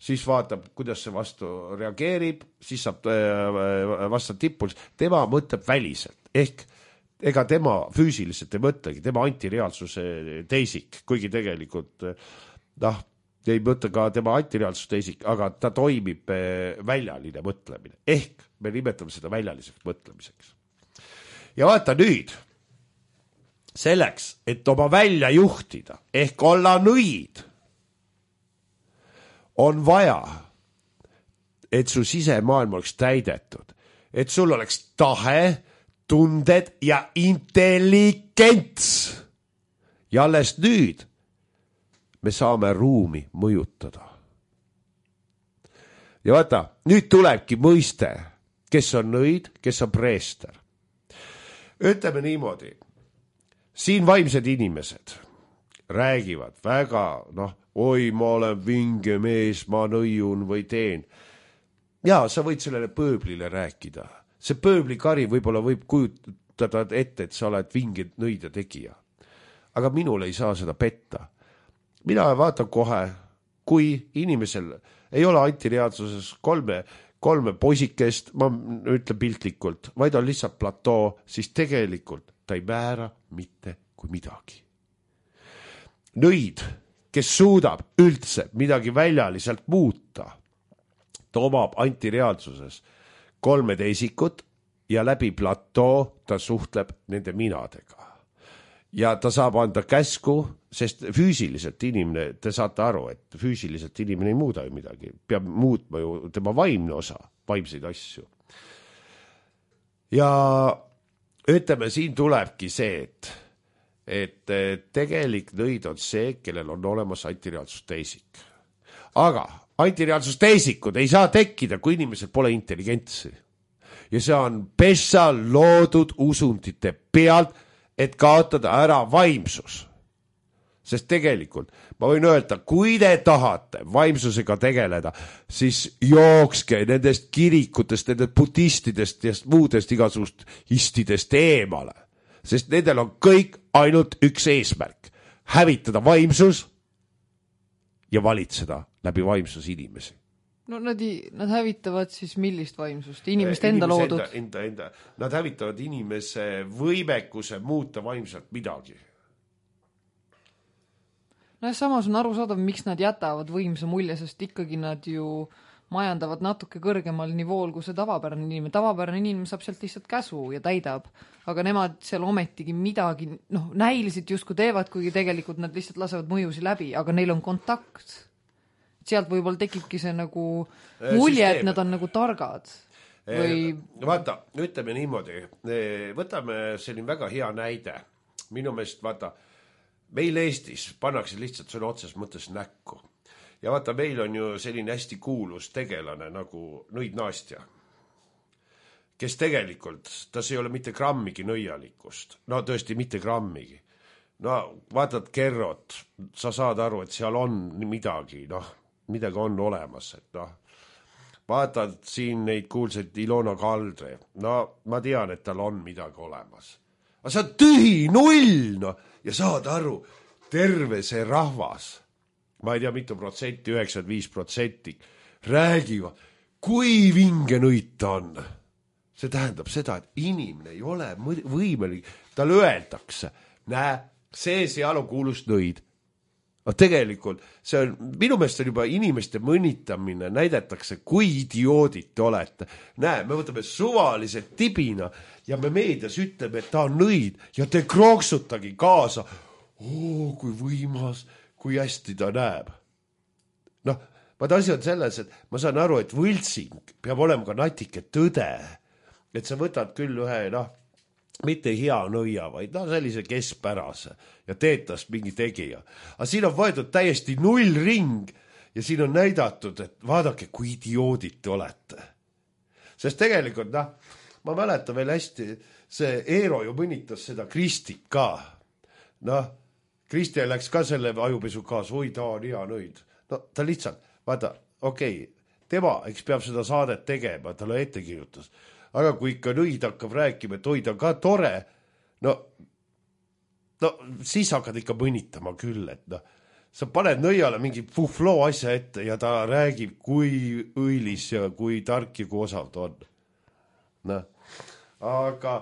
siis vaatab, kuidas see vastu reageerib, siis saab vasta tipuls. Tema mõtleb väliselt, ehk ega tema füüsiliselt ei mõtlegi, tema antireaalsuse teisik, kuigi tegelikult noh, ei mõtle ka tema antireaalsuse teisik, aga ta toimib väljaline mõtlemine, ehk me nimetame seda väljaliseks mõtlemiseks. Ja vaata nüüd, selleks, et oma välja juhtida, ehk olla nõid, on vaja, et su sisemaailm oleks täidetud, et sul oleks tahe, tunded ja intelligents. Ja alles nüüd me saame ruumi mõjutada. Ja vaata, nüüd tulebki mõiste, kes on nõid, kes on preester. Ütleme niimoodi, siin vaimsed inimesed räägivad väga, noh, oi, ma olen vinge mees, ma nõiun või teen. Ja sa võid sellele pööblile rääkida. See pööblikari võib-olla võib kujutada ette, et sa oled vinge nõide tegija. Aga minul ei saa seda petta. Mina vaatan kohe, kui inimesel ei ole antireaalsuses kolme, kolme poisikest, ma ütlen piltlikult, vaid on lihtsalt platoo, siis tegelikult ta ei määra mitte kui midagi. Nõid, kes suudab üldse midagi väljaliselt muuta, ta omab antireaalsuses kolme teisikut ja läbi platoo ta suhtleb nende minadega. Ja ta saab anda käsku, sest füüsiliselt inimene, te saate aru, et füüsiliselt inimene ei muuda ju midagi, peab muutma ju tema vaimne osa, vaimseid asju. Ja ütleme, siin tulebki see, et, et tegelik nõid on see, kellel on olemas antireaalsus teisik. Aga antireaalsus teisikud ei saa tekkida, kui inimesel pole intelligentsi. Ja see on pessa loodud usundite pealt, et kaotada ära vaimsus. Sest tegelikult, ma võin öelda, kui te tahate vaimsusega tegeleda, siis jookske nendest kirikutest, nendest budistidest ja muudest igasugust istidest eemale. Sest nendel on kõik ainult üks eesmärk. Hävitada vaimsus ja valitseda läbi vaimsus inimesi. No nad, nad hävitavad siis millist vaimsust? Inimeste enda loodud? Enda, enda, enda. Nad hävitavad inimese võimekuse muuta vaimselt midagi. No ja samas on aru saada, miks nad jätavad võimsa mulje, sest ikkagi nad ju majandavad natuke kõrgemal nivool kui see tavapärane inimene. Tavapärane inimene saab sealt lihtsalt käsu ja täidab. Aga nemad seal ometigi midagi, noh, näiliselt justkui teevad, kuigi tegelikult nad lihtsalt lasevad mõjusi läbi, aga neil on kontakt. Sealt võib-olla tekibki see nagu mulje, et nad on nagu targad. Või... Vaata, ütleme niimoodi, võtame selline väga hea näide. Minu meelest, vaata, meil Eestis pannakse lihtsalt sõna otses mõttes näkku. Ja vaata, meil on ju selline hästi kuulus tegelane nagu Nõid Naastja, kes tegelikult, tas ei ole mitte grammigi nõialikust. No tõesti mitte grammigi. No vaatad Kerrot, sa saad aru, et seal on midagi, noh, midagi on olemas, et noh, vaatad siin neid kuulsaid Ilona Kaldre, no ma tean, et tal on midagi olemas. Aga see on tühi, null, no, ja saad aru, terve see rahvas, ma ei tea mitu protsenti, üheksakümmend viis protsenti, räägivad, kui vinge nõid ta on. See tähendab seda, et inimene ei ole võimelik, tal öeldakse, näe, see seal on kuulus nõid. No tegelikult, see on, minu meelest on juba inimeste mõnitamine, näidatakse, kui idioodid te olete. Näe, me võtame suvalise tibina ja me meedias ütleme, et ta on nõid ja te krooksutagi kaasa. Oo, kui võimas, kui hästi ta näeb. Noh, vaata asi on selles, et ma saan aru, et võltsing peab olema ka natike tõde. Et sa võtad küll ühe, noh, mitte hea nõia, vaid no sellise keskpärase ja teetas mingi tegija. Aga siin on võetud täiesti null ring ja siin on näidatud, et vaadake, kui idioodid te olete. Sest tegelikult, noh, ma mäletan veel hästi, see Eero ju mõnitas seda Kristit ka. Noh, Kristi läks ka selle ajupesu kaas, oi, ta on hea nõid. No ta lihtsalt, vaata, okei, okay, tema, eks peab seda saadet tegema, talle ette kirjutas. Aga kui ikka nõid hakkab rääkima, et oi, ta on ka tore, no, no siis hakkad ikka mõnitama küll, et noh, sa paned nõiale mingi fufloo asja ette ja ta räägib, kui õilis ja kui tark ja kui osav ta on. Noh, aga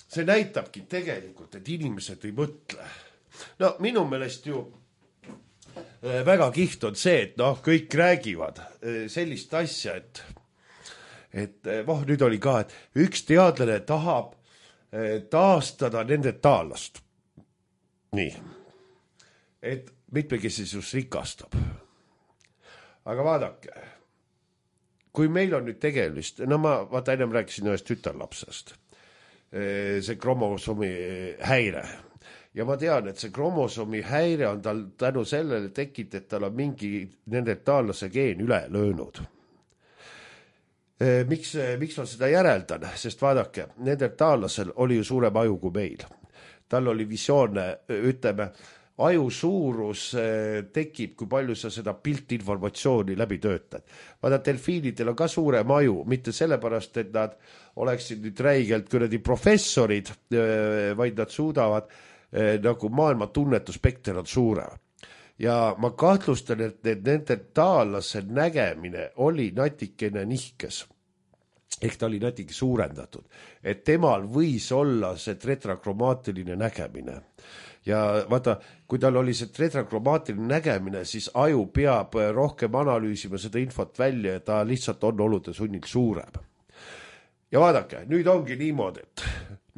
see näitabki tegelikult, et inimesed ei mõtle. No minu meelest ju väga kiht on see, et noh, kõik räägivad sellist asja, et et voh, nüüd oli ka, et üks teadlane tahab taastada nende taallast. Nii. Et mitmekesisus rikastab. Aga vaadake, kui meil on nüüd tegelist, no ma vaata ennem rääkisin ühest tütarlapsest, see kromosoomi häire. ja ma tean, et see kromosoomi häire on tal tänu sellele tekit, et tal on mingi neandertaallase geen üle löönud. Miks, miks ma seda järeldan? Sest vaadake, neandertaallasel oli ju suurem aju kui meil. Tal oli visioone, ütleme, aju suurus tekib, kui palju sa seda piltinformatsiooni läbi töötad. Vaada, delfiinidel on ka suurem aju, mitte sellepärast, et nad oleksid nüüd räigelt kuradi professorid, vaid nad suudavad nagu maailma tunnetuspekter on suurem. Ja ma kahtlustan, et nende taallase nägemine oli natikene nihkes. Ehk ta oli natuke suurendatud. Et temal võis olla see tetrakromatiline nägemine. Ja vaata, kui tal oli see tetrakromatiline nägemine, siis aju peab rohkem analüüsima seda infot välja ja ta lihtsalt on olude sunnil suurem. Ja vaadake, nüüd ongi niimoodi, et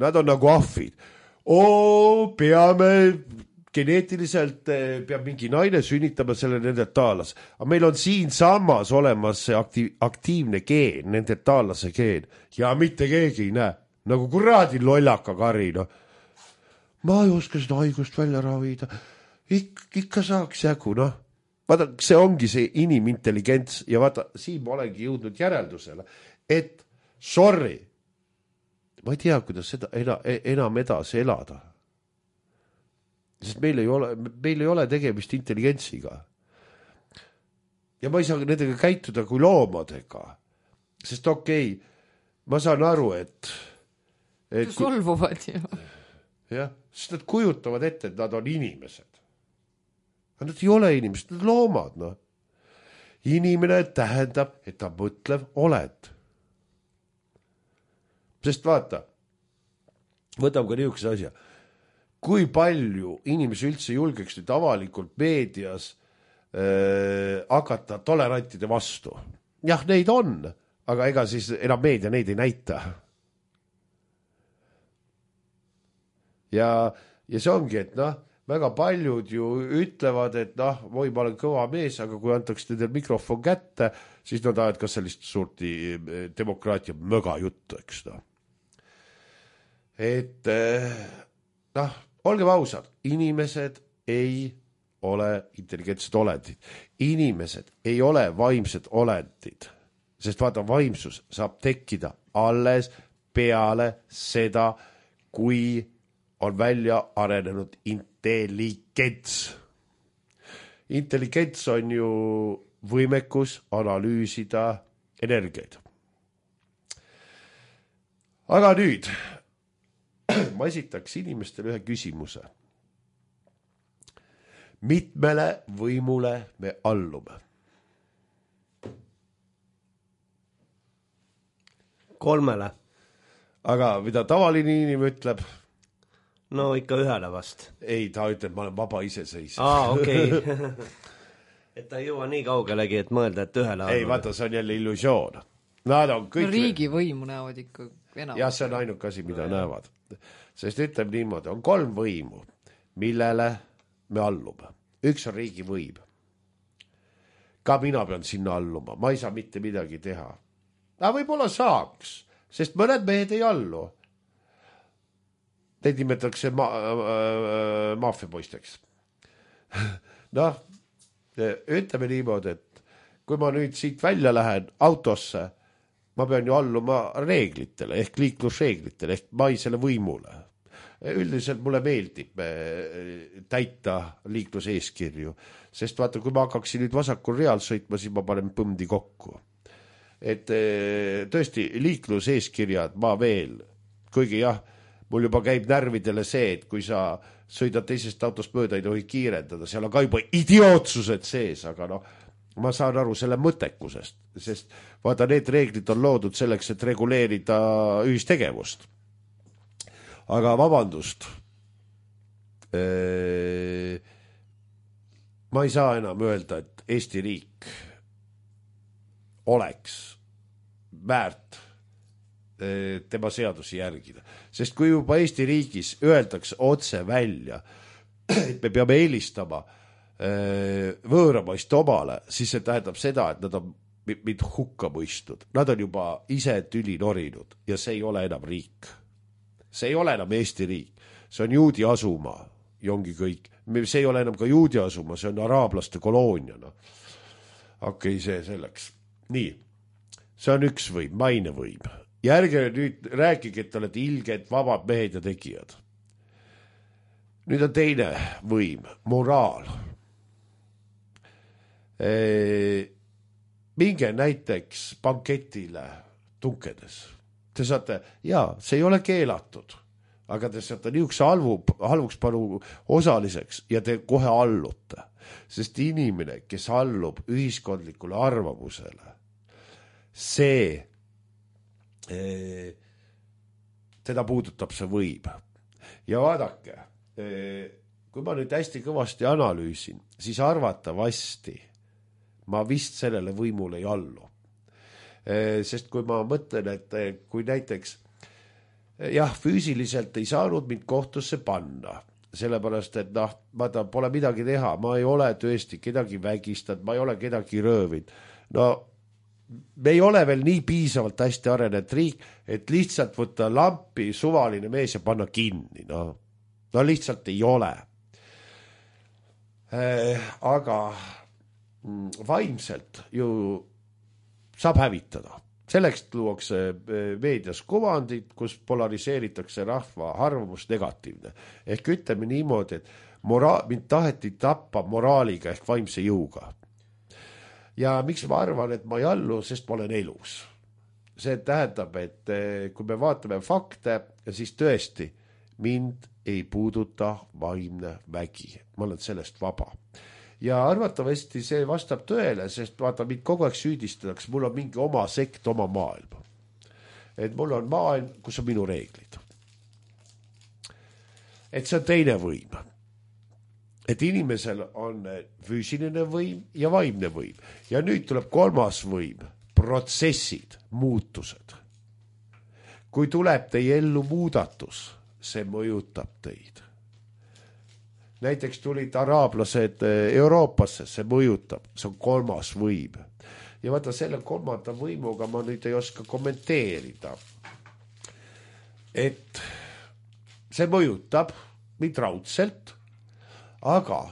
nad on nagu ahvid. Oo, peame geneetiliselt, peab mingi naine sünnitama selle neandertaalase. Aga meil on siin samas olemas see aktiiv, aktiivne geen, neandertaalase geen. Ja mitte keegi ei näe. Nagu kuradi lollaka kari, no. Ma ei oska seda haigust välja ravida. Ik, ikka saaks jagu, noh. Vaata, see ongi see inimintelligents ja vaata, siin ma olengi jõudnud järeldusele, et sorry, ma ei tea, kuidas seda enam edasi elada. Sest meil ei ole, meil ei ole tegemist intelligentsiga. Ja ma ei saa nendega käituda kui loomadega. Sest okei, ma saan aru, et... et solvuvad ju. Jah, sest nad kujutavad ette, et nad on inimesed. Aga nad ei ole inimesed, nad loomad, noh. Inimene tähendab, et ta mõtlev oled. Sest vaata, võtam ka niisuguse asja. Kui palju inimesi üldse julgeks nüüd avalikult meedias äh, hakata tolerantide vastu? Jah, neid on, aga ega siis enam meedia neid ei näita. Ja, ja see ongi, et noh, väga paljud ju ütlevad, et noh, või ma olen kõva mees, aga kui antaks nendel mikrofon kätte, siis nad ajad ka sellist suurti demokraatia möga juttu, eks noh. Et noh, olgem ausad, inimesed ei ole intelligentsed olendid. Inimesed ei ole vaimsed olendid, sest vaata, vaimsus saab tekkida alles peale seda, kui on välja arenenud intelligents. Intelligents on ju võimekus analüüsida energiaid. Aga nüüd ma esitaks inimestele ühe küsimuse. Mitmele võimule me allume? Kolmele. Aga mida tavaline inimene ütleb? No ikka ühele vast. Ei, ta ütleb, ma olen vaba iseseisev. Aa, okei. Okay. Et ta ei jõua nii kaugelegi, et mõelda, et ühele allume. Ei, vaata, see on jälle illusioon. Nad on kõik... No riigivõimu näevad ikka enam. Jah, see on ainuke asi, mida ja. Näevad. Sest ütleb niimoodi, on kolm võimu, millele me allume. Üks on riigivõim. Ka mina pean sinna alluma, ma ei saa mitte midagi teha. Aga võib-olla saaks, sest mõned mehed ei allu. Neid nimetatakse ma- äh, maafiapoisteks. Noh, ütleme niimoodi, et kui ma nüüd siit välja lähen autosse, ma pean ju alluma reeglitele, ehk liiklusreeglitele, ehk maisele võimule. Üldiselt mulle meeldib täita liikluseeskirju, sest vaata, kui ma hakkaksin nüüd vasakul real sõitma, siis ma panen põmdi kokku. Et tõesti, liikluseeskirjad ma veel, kuigi jah, mul juba käib närvidele see, et kui sa sõidad teisest autost mööda, ei tohi kiirendada, seal on ka juba idiootsused sees, aga noh, ma saan aru selle mõttekusest, sest vaata, need reeglid on loodud selleks, et reguleerida ühistegevust. Aga vabandust, ee, ma ei saa enam öelda, et Eesti riik oleks väärt ee, tema seadusi järgida. Sest kui juba Eesti riigis öeldakse otse välja, et me peame eelistama ee, võõramaist omale, siis see tähendab seda, et nad on mind hukka mõistnud. Nad on juba ise tüli norinud ja see ei ole enam riik. See ei ole enam Eesti riik, see on juudi asumaa. ja ongi kõik. See ei ole enam ka juudi asuma, see on araablaste koloonia. No. Okei, okay, see selleks. Nii, see on üks võim, maine võim. Ja ärge nüüd rääkige, et te olete ilged, vabad mehed ja tegijad. Nüüd on teine võim, moraal. E, minge näiteks banketile tunkedes. Te saate, jaa, see ei ole keelatud, aga te saate niisuguse halvu, halvuks panu osaliseks ja te kohe allute. Sest inimene, kes allub ühiskondlikule arvamusele, see e, teda puudutab see võim. Ja vaadake, e, kui ma nüüd hästi kõvasti analüüsin, siis arvatavasti ma vist sellele võimule ei allu. E, sest kui ma mõtlen, et kui näiteks jah, füüsiliselt ei saanud mind kohtusse panna, sellepärast, et noh, vaata, pole midagi teha, ma ei ole tõesti kedagi vägistanud, ma ei ole kedagi röövinud. No me ei ole veel nii piisavalt hästi arenenud riik, et lihtsalt võtta lampi suvaline mees ja panna kinni. No, no lihtsalt ei ole. Äh, aga vaimselt ju saab hävitada. Selleks luuakse meedias kuvandid, kus polariseeritakse rahva arvamus negatiivne. Ehk ütleme niimoodi, et mora- mind taheti tappa moraaliga ehk vaimse jõuga. Ja miks ma arvan, et ma ei allu, sest ma olen elus. See tähendab, et kui me vaatame fakte, siis tõesti mind ei puuduta vaimne vägi. Ma olen sellest vaba. Ja arvatavasti see vastab tõele, sest vaata, mind kogu aeg süüdistatakse, mul on mingi oma sekt, oma maailm. Et mul on maailm, kus on minu reeglid. Et see on teine võim. Et inimesel on füüsiline võim ja vaimne võim. Ja nüüd tuleb kolmas võim, protsessid, muutused. Kui tuleb teie ellu muudatus, see mõjutab teid. Näiteks tulid araablased Euroopasse, see mõjutab, see on kolmas võim. Ja vaata, selle kolmanda võimuga ma nüüd ei oska kommenteerida. Et see mõjutab mind raudselt, aga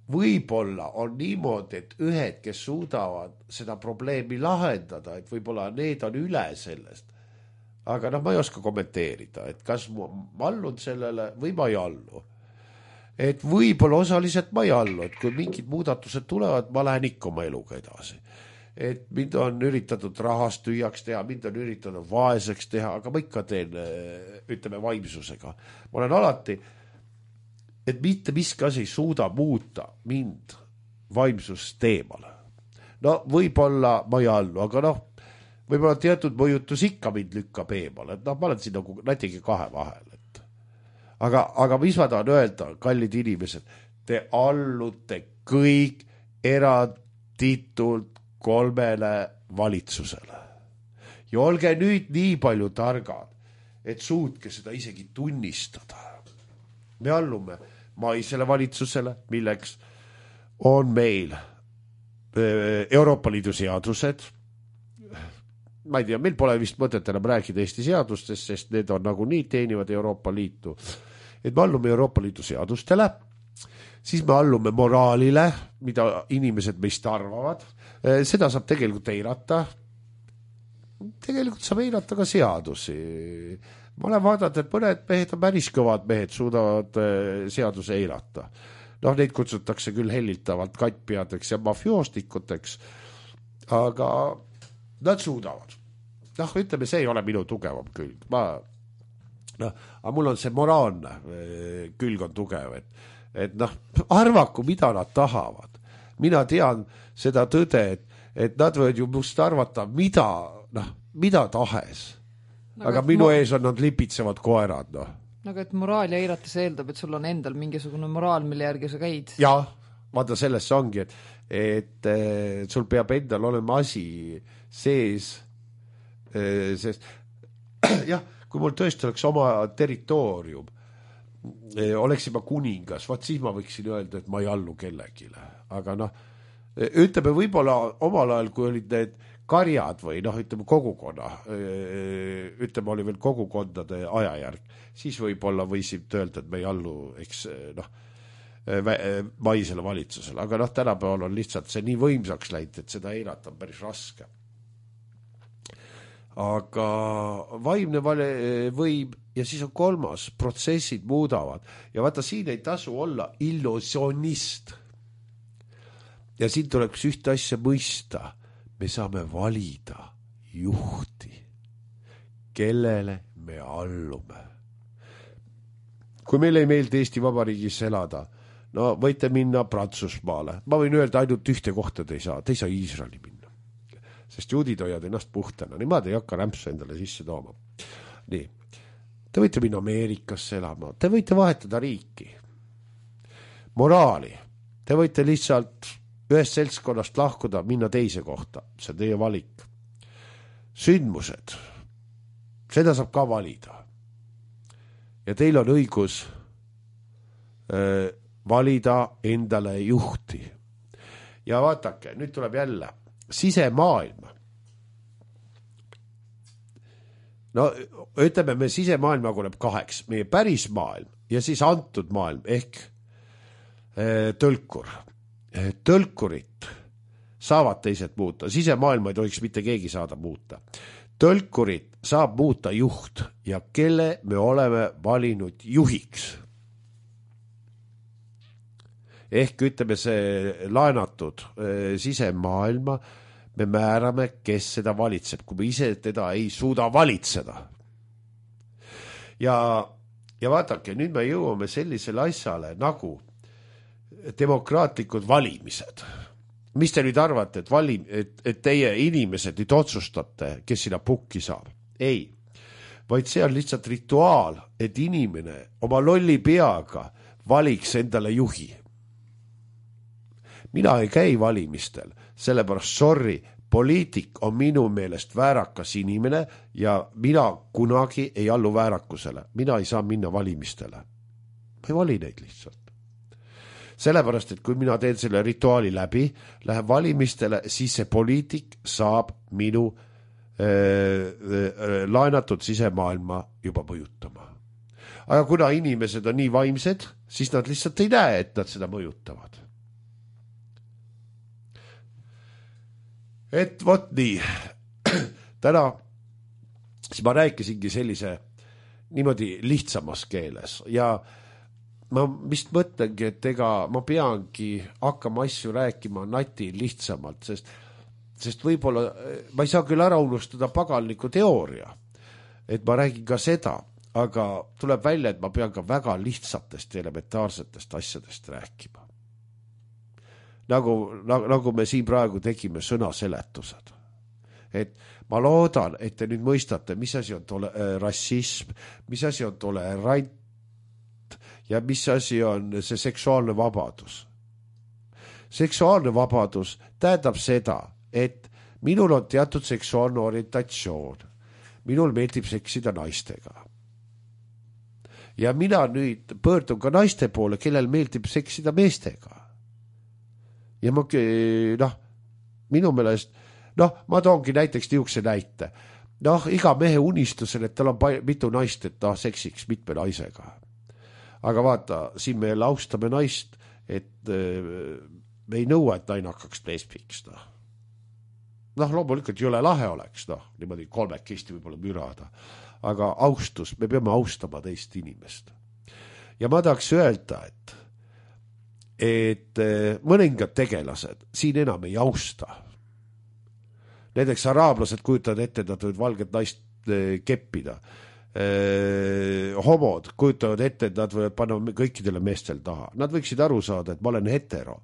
võib-olla on niimoodi, et ühed, kes suudavad seda probleemi lahendada, et võib-olla need on üle sellest. Aga noh, ma ei oska kommenteerida, et kas ma allun sellele või ma ei allu. Et võib-olla osaliselt ma ei allu, et kui mingid muudatused tulevad, ma lähen ikka oma eluga edasi. Et mind on üritatud rahast tühjaks teha, mind on üritatud vaeseks teha, aga ma ikka teen, ütleme, vaimsusega. Ma olen alati, et mitte miski asi ei suuda muuta mind vaimsust teemale. No võib-olla ma ei allu, aga noh, võib-olla teatud mõjutus ikka mind lükkab eemale. Et noh, ma olen siin nagu nätigi kahe vahel. Aga, aga mis ma tahan öelda, kallid inimesed, te allute kõik eranditult kolmele valitsusele. Ja olge nüüd nii palju targad, et suutke seda isegi tunnistada. Me allume maisele valitsusele, milleks on meil Euroopa Liidu seadused. Ma ei tea, meil pole vist mõtet enam rääkida Eesti seadustest, sest need on nagu nii teenivad Euroopa Liitu. Et me allume Euroopa Liidu seadustele, siis me allume moraalile, mida inimesed meist arvavad. Seda saab tegelikult eirata. Tegelikult saab eirata ka seadusi. Ma olen vaadanud, et mõned mehed on päris kõvad mehed, suudavad seaduse eirata. Noh, neid kutsutakse küll hellitavalt kattpeadeks ja mafioostikuteks, aga nad suudavad. Noh, ütleme, see ei ole minu tugevam külg. Ma noh, aga mul on see moraalne külg on tugev, et, et noh, arvaku, mida nad tahavad. Mina tean seda tõde, et, et nad võivad ju must arvata, mida, noh, mida tahes. No, aga minu ma... ees on nad lipitsevad koerad, noh. Aga et moraal ja eirates eeldab, et sul on endal mingisugune moraal, mille järgi sa käid. Jah, vaata selles ongi, et, et, et sul peab endal olema asi sees, sest jah, kui mul tõesti oleks oma territoorium, oleksin ma kuningas, vaat siis ma võiksin öelda, et ma ei allu kellegile. Aga noh, ütleme võib-olla omal ajal, kui olid need karjad või noh, ütleme kogukonna, ütleme oli veel kogukondade ajajärg, siis võib-olla võisid öelda, et me ei allu, eks noh, maisele valitsusele, aga noh, tänapäeval on lihtsalt see nii võimsaks läinud, et seda eirata on päris raske. Aga vaimne võim ja siis on kolmas, protsessid muudavad ja vaata, siin ei tasu olla illusionist. Ja siin tuleks ühte asja mõista, me saame valida juhti, kellele me allume. Kui meil ei meeldi Eesti Vabariigis elada, no võite minna Prantsusmaale. Ma võin öelda ainult ühte kohta te ei saa, te ei saa Iisraeli minna. Sest juudid hoiad ennast puhtana, niimoodi ei hakka rämpsu endale sisse tooma. Nii, te võite minna Ameerikasse elama, te võite vahetada riiki. Moraali, te võite lihtsalt ühest seltskonnast lahkuda, minna teise kohta, see on teie valik. Sündmused, seda saab ka valida. Ja teil on õigus äh, valida endale juhti. Ja vaatake, nüüd tuleb jälle sisemaailma. No ütleme, me sisemaailma kuleb kaheks, meie päris maailm ja siis antud maailm ehk äh, tõlkur. Tõlkurit saavad teised muuta, sisemaailma ei tohiks mitte keegi saada muuta. Tõlkurit saab muuta juht ja kelle me oleme valinud juhiks. Ehk ütleme see laenatud e, sisemaailma, me määrame, kes seda valitseb, kui me ise teda ei suuda valitseda. Ja, ja vaadake, nüüd me jõuame sellisele asjale nagu demokraatlikud valimised. Mis te nüüd arvate, et, valim, et, et teie inimesed nüüd otsustate, kes sinna pukki saab? Ei, vaid see on lihtsalt rituaal, et inimene oma lolli peaga valiks endale juhi. Mina ei käi valimistel, sellepärast sorry, poliitik on minu meelest väärakas inimene ja mina kunagi ei allu väärakusele. Mina ei saa minna valimistele. Ma ei vali neid lihtsalt. Sellepärast, et kui mina teen selle rituaali läbi, läheb valimistele, siis see poliitik saab minu äh, äh, laenatud sisemaailma juba mõjutama. Aga kuna inimesed on nii vaimsed, siis nad lihtsalt ei näe, et nad seda mõjutavad. Et vot nii, täna siis ma rääkisingi sellise niimoodi lihtsamas keeles ja ma vist mõtlengi, et ega ma peangi hakkama asju rääkima nati lihtsamalt, sest, sest võib-olla ma ei saa küll ära unustada paganliku teooria, et ma räägin ka seda, aga tuleb välja, et ma pean ka väga lihtsatest ja elementaarsetest asjadest rääkima. Nagu, nagu, nagu me siin praegu tegime sõnaseletused. Et ma loodan, et te nüüd mõistate, mis asi on tole, äh, rassism, mis asi on tolerant, ja mis asi on see seksuaalne vabadus. Seksuaalne vabadus tähendab seda, et minul on teatud seksuaalne orientatsioon. Minul meeldib seksida naistega. Ja mina nüüd pöördun ka naiste poole, kellel meeldib seksida meestega. Ja ma, noh, minu meelest, noh, ma toongi näiteks niisuguse näite. Noh, iga mehe unistusel, et tal on mitu naist, et ta seksiks mitme naisega. Aga vaata, siin me austame naist, et me ei nõua, et naine hakkaks lesbiks. Noh, noh loomulikult jõle lahe oleks, noh, niimoodi kolmekesti võib-olla mürada. Aga austus, me peame austama teist inimest. Ja ma tahaks öelda, et, et mõningad tegelased siin enam ei austa. Näiteks araablased kujutavad ette, et nad võivad valget naist keppida. Eh, homod kujutavad ette, et nad võivad panna kõikidele meestel taha. Nad võiksid aru saada, et ma olen hetero.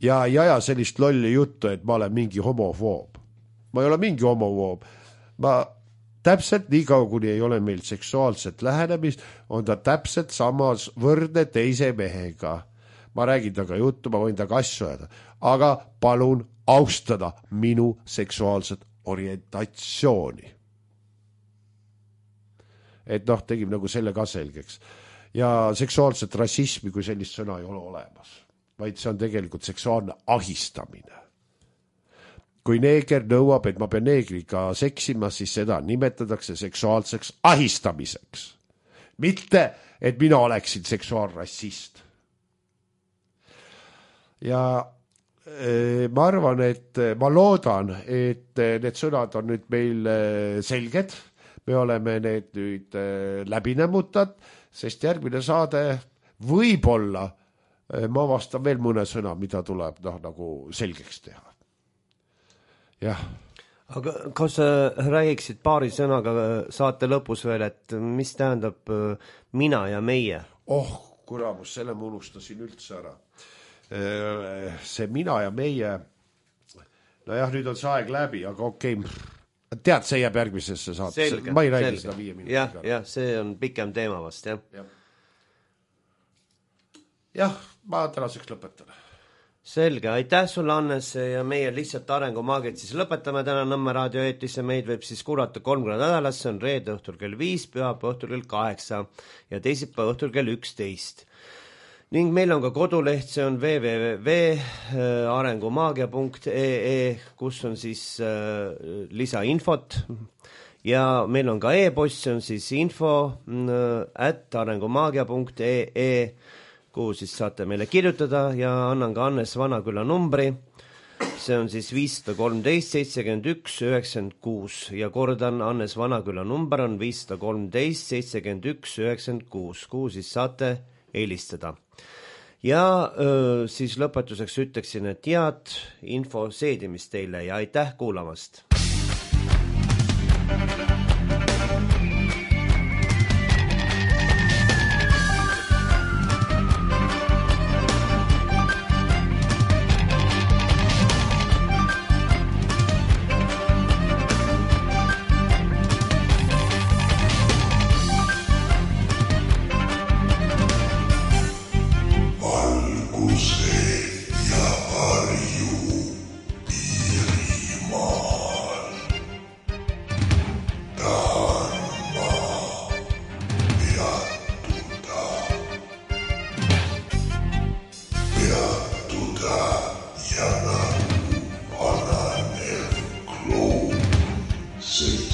Ja ei aja sellist lolli juttu, et ma olen mingi homofoob. Ma ei ole mingi homofoob. Ma täpselt nii kaua, kuni ei ole meil seksuaalset lähenemist, on ta täpselt samas võrdne teise mehega. Ma räägin taga juttu, ma võin taga asju öelda. Aga palun austada minu seksuaalset orientatsiooni. Et noh, tegime nagu selle ka selgeks. Ja seksuaalset rassismi kui sellist sõna ei ole olemas, vaid see on tegelikult seksuaalne ahistamine. kui neeger nõuab, et ma pean neegriga seksima, siis seda nimetatakse seksuaalseks ahistamiseks. Mitte, et mina oleksin seksuaalrassist. Ja ma arvan, et ma loodan, et need sõnad on nüüd meil selged. Me oleme need nüüd läbi nämmutad, sest järgmine saade võib-olla ma vastan veel mõne sõna, mida tuleb noh, nagu selgeks teha. Jah. Aga kas sa räägiksid paari sõnaga saate lõpus veel, et mis tähendab mina ja meie? Oh, kuramus, selle ma unustasin üldse ära. See mina ja meie, no jah, nüüd on see aeg läbi, aga okei, okay. Tead, see jääb järgmisesse saate. Ma ei räägi selge. Seda viie minutit. Jah, jah, see on pikem teema vast, jah. Jah, jah ma tänaseks lõpetan. Selge, aitäh sulle, Hannes, ja meie lihtsalt arengumaagid siis lõpetame täna Nõmme raadio eetisse. Meid võib siis kuulata kolm korda nädalas, see on reede õhtul kell viis, pühapäeva õhtul kell kaheksa ja teisipäeva õhtul kell üksteist. Ning meil on ka koduleht, see on w w w punkt arengumaagia punkt e e, kus on siis äh, lisainfot ja meil on ka e-post, see on siis info at arengumaagia punkt e e, kuhu siis saate meile kirjutada ja annan ka Hannes Vanaküla numbri. See on siis viis kolmteist seitsekümmend üks üheksakümmend kuus ja kordan, Hannes Vanaküla number on viis kolmteist seitsekümmend üks üheksakümmend kuus, kuhu siis saate helistada. Ja öö, siis lõpetuseks ütleksin, et head info seedimist teile ja aitäh kuulamast! See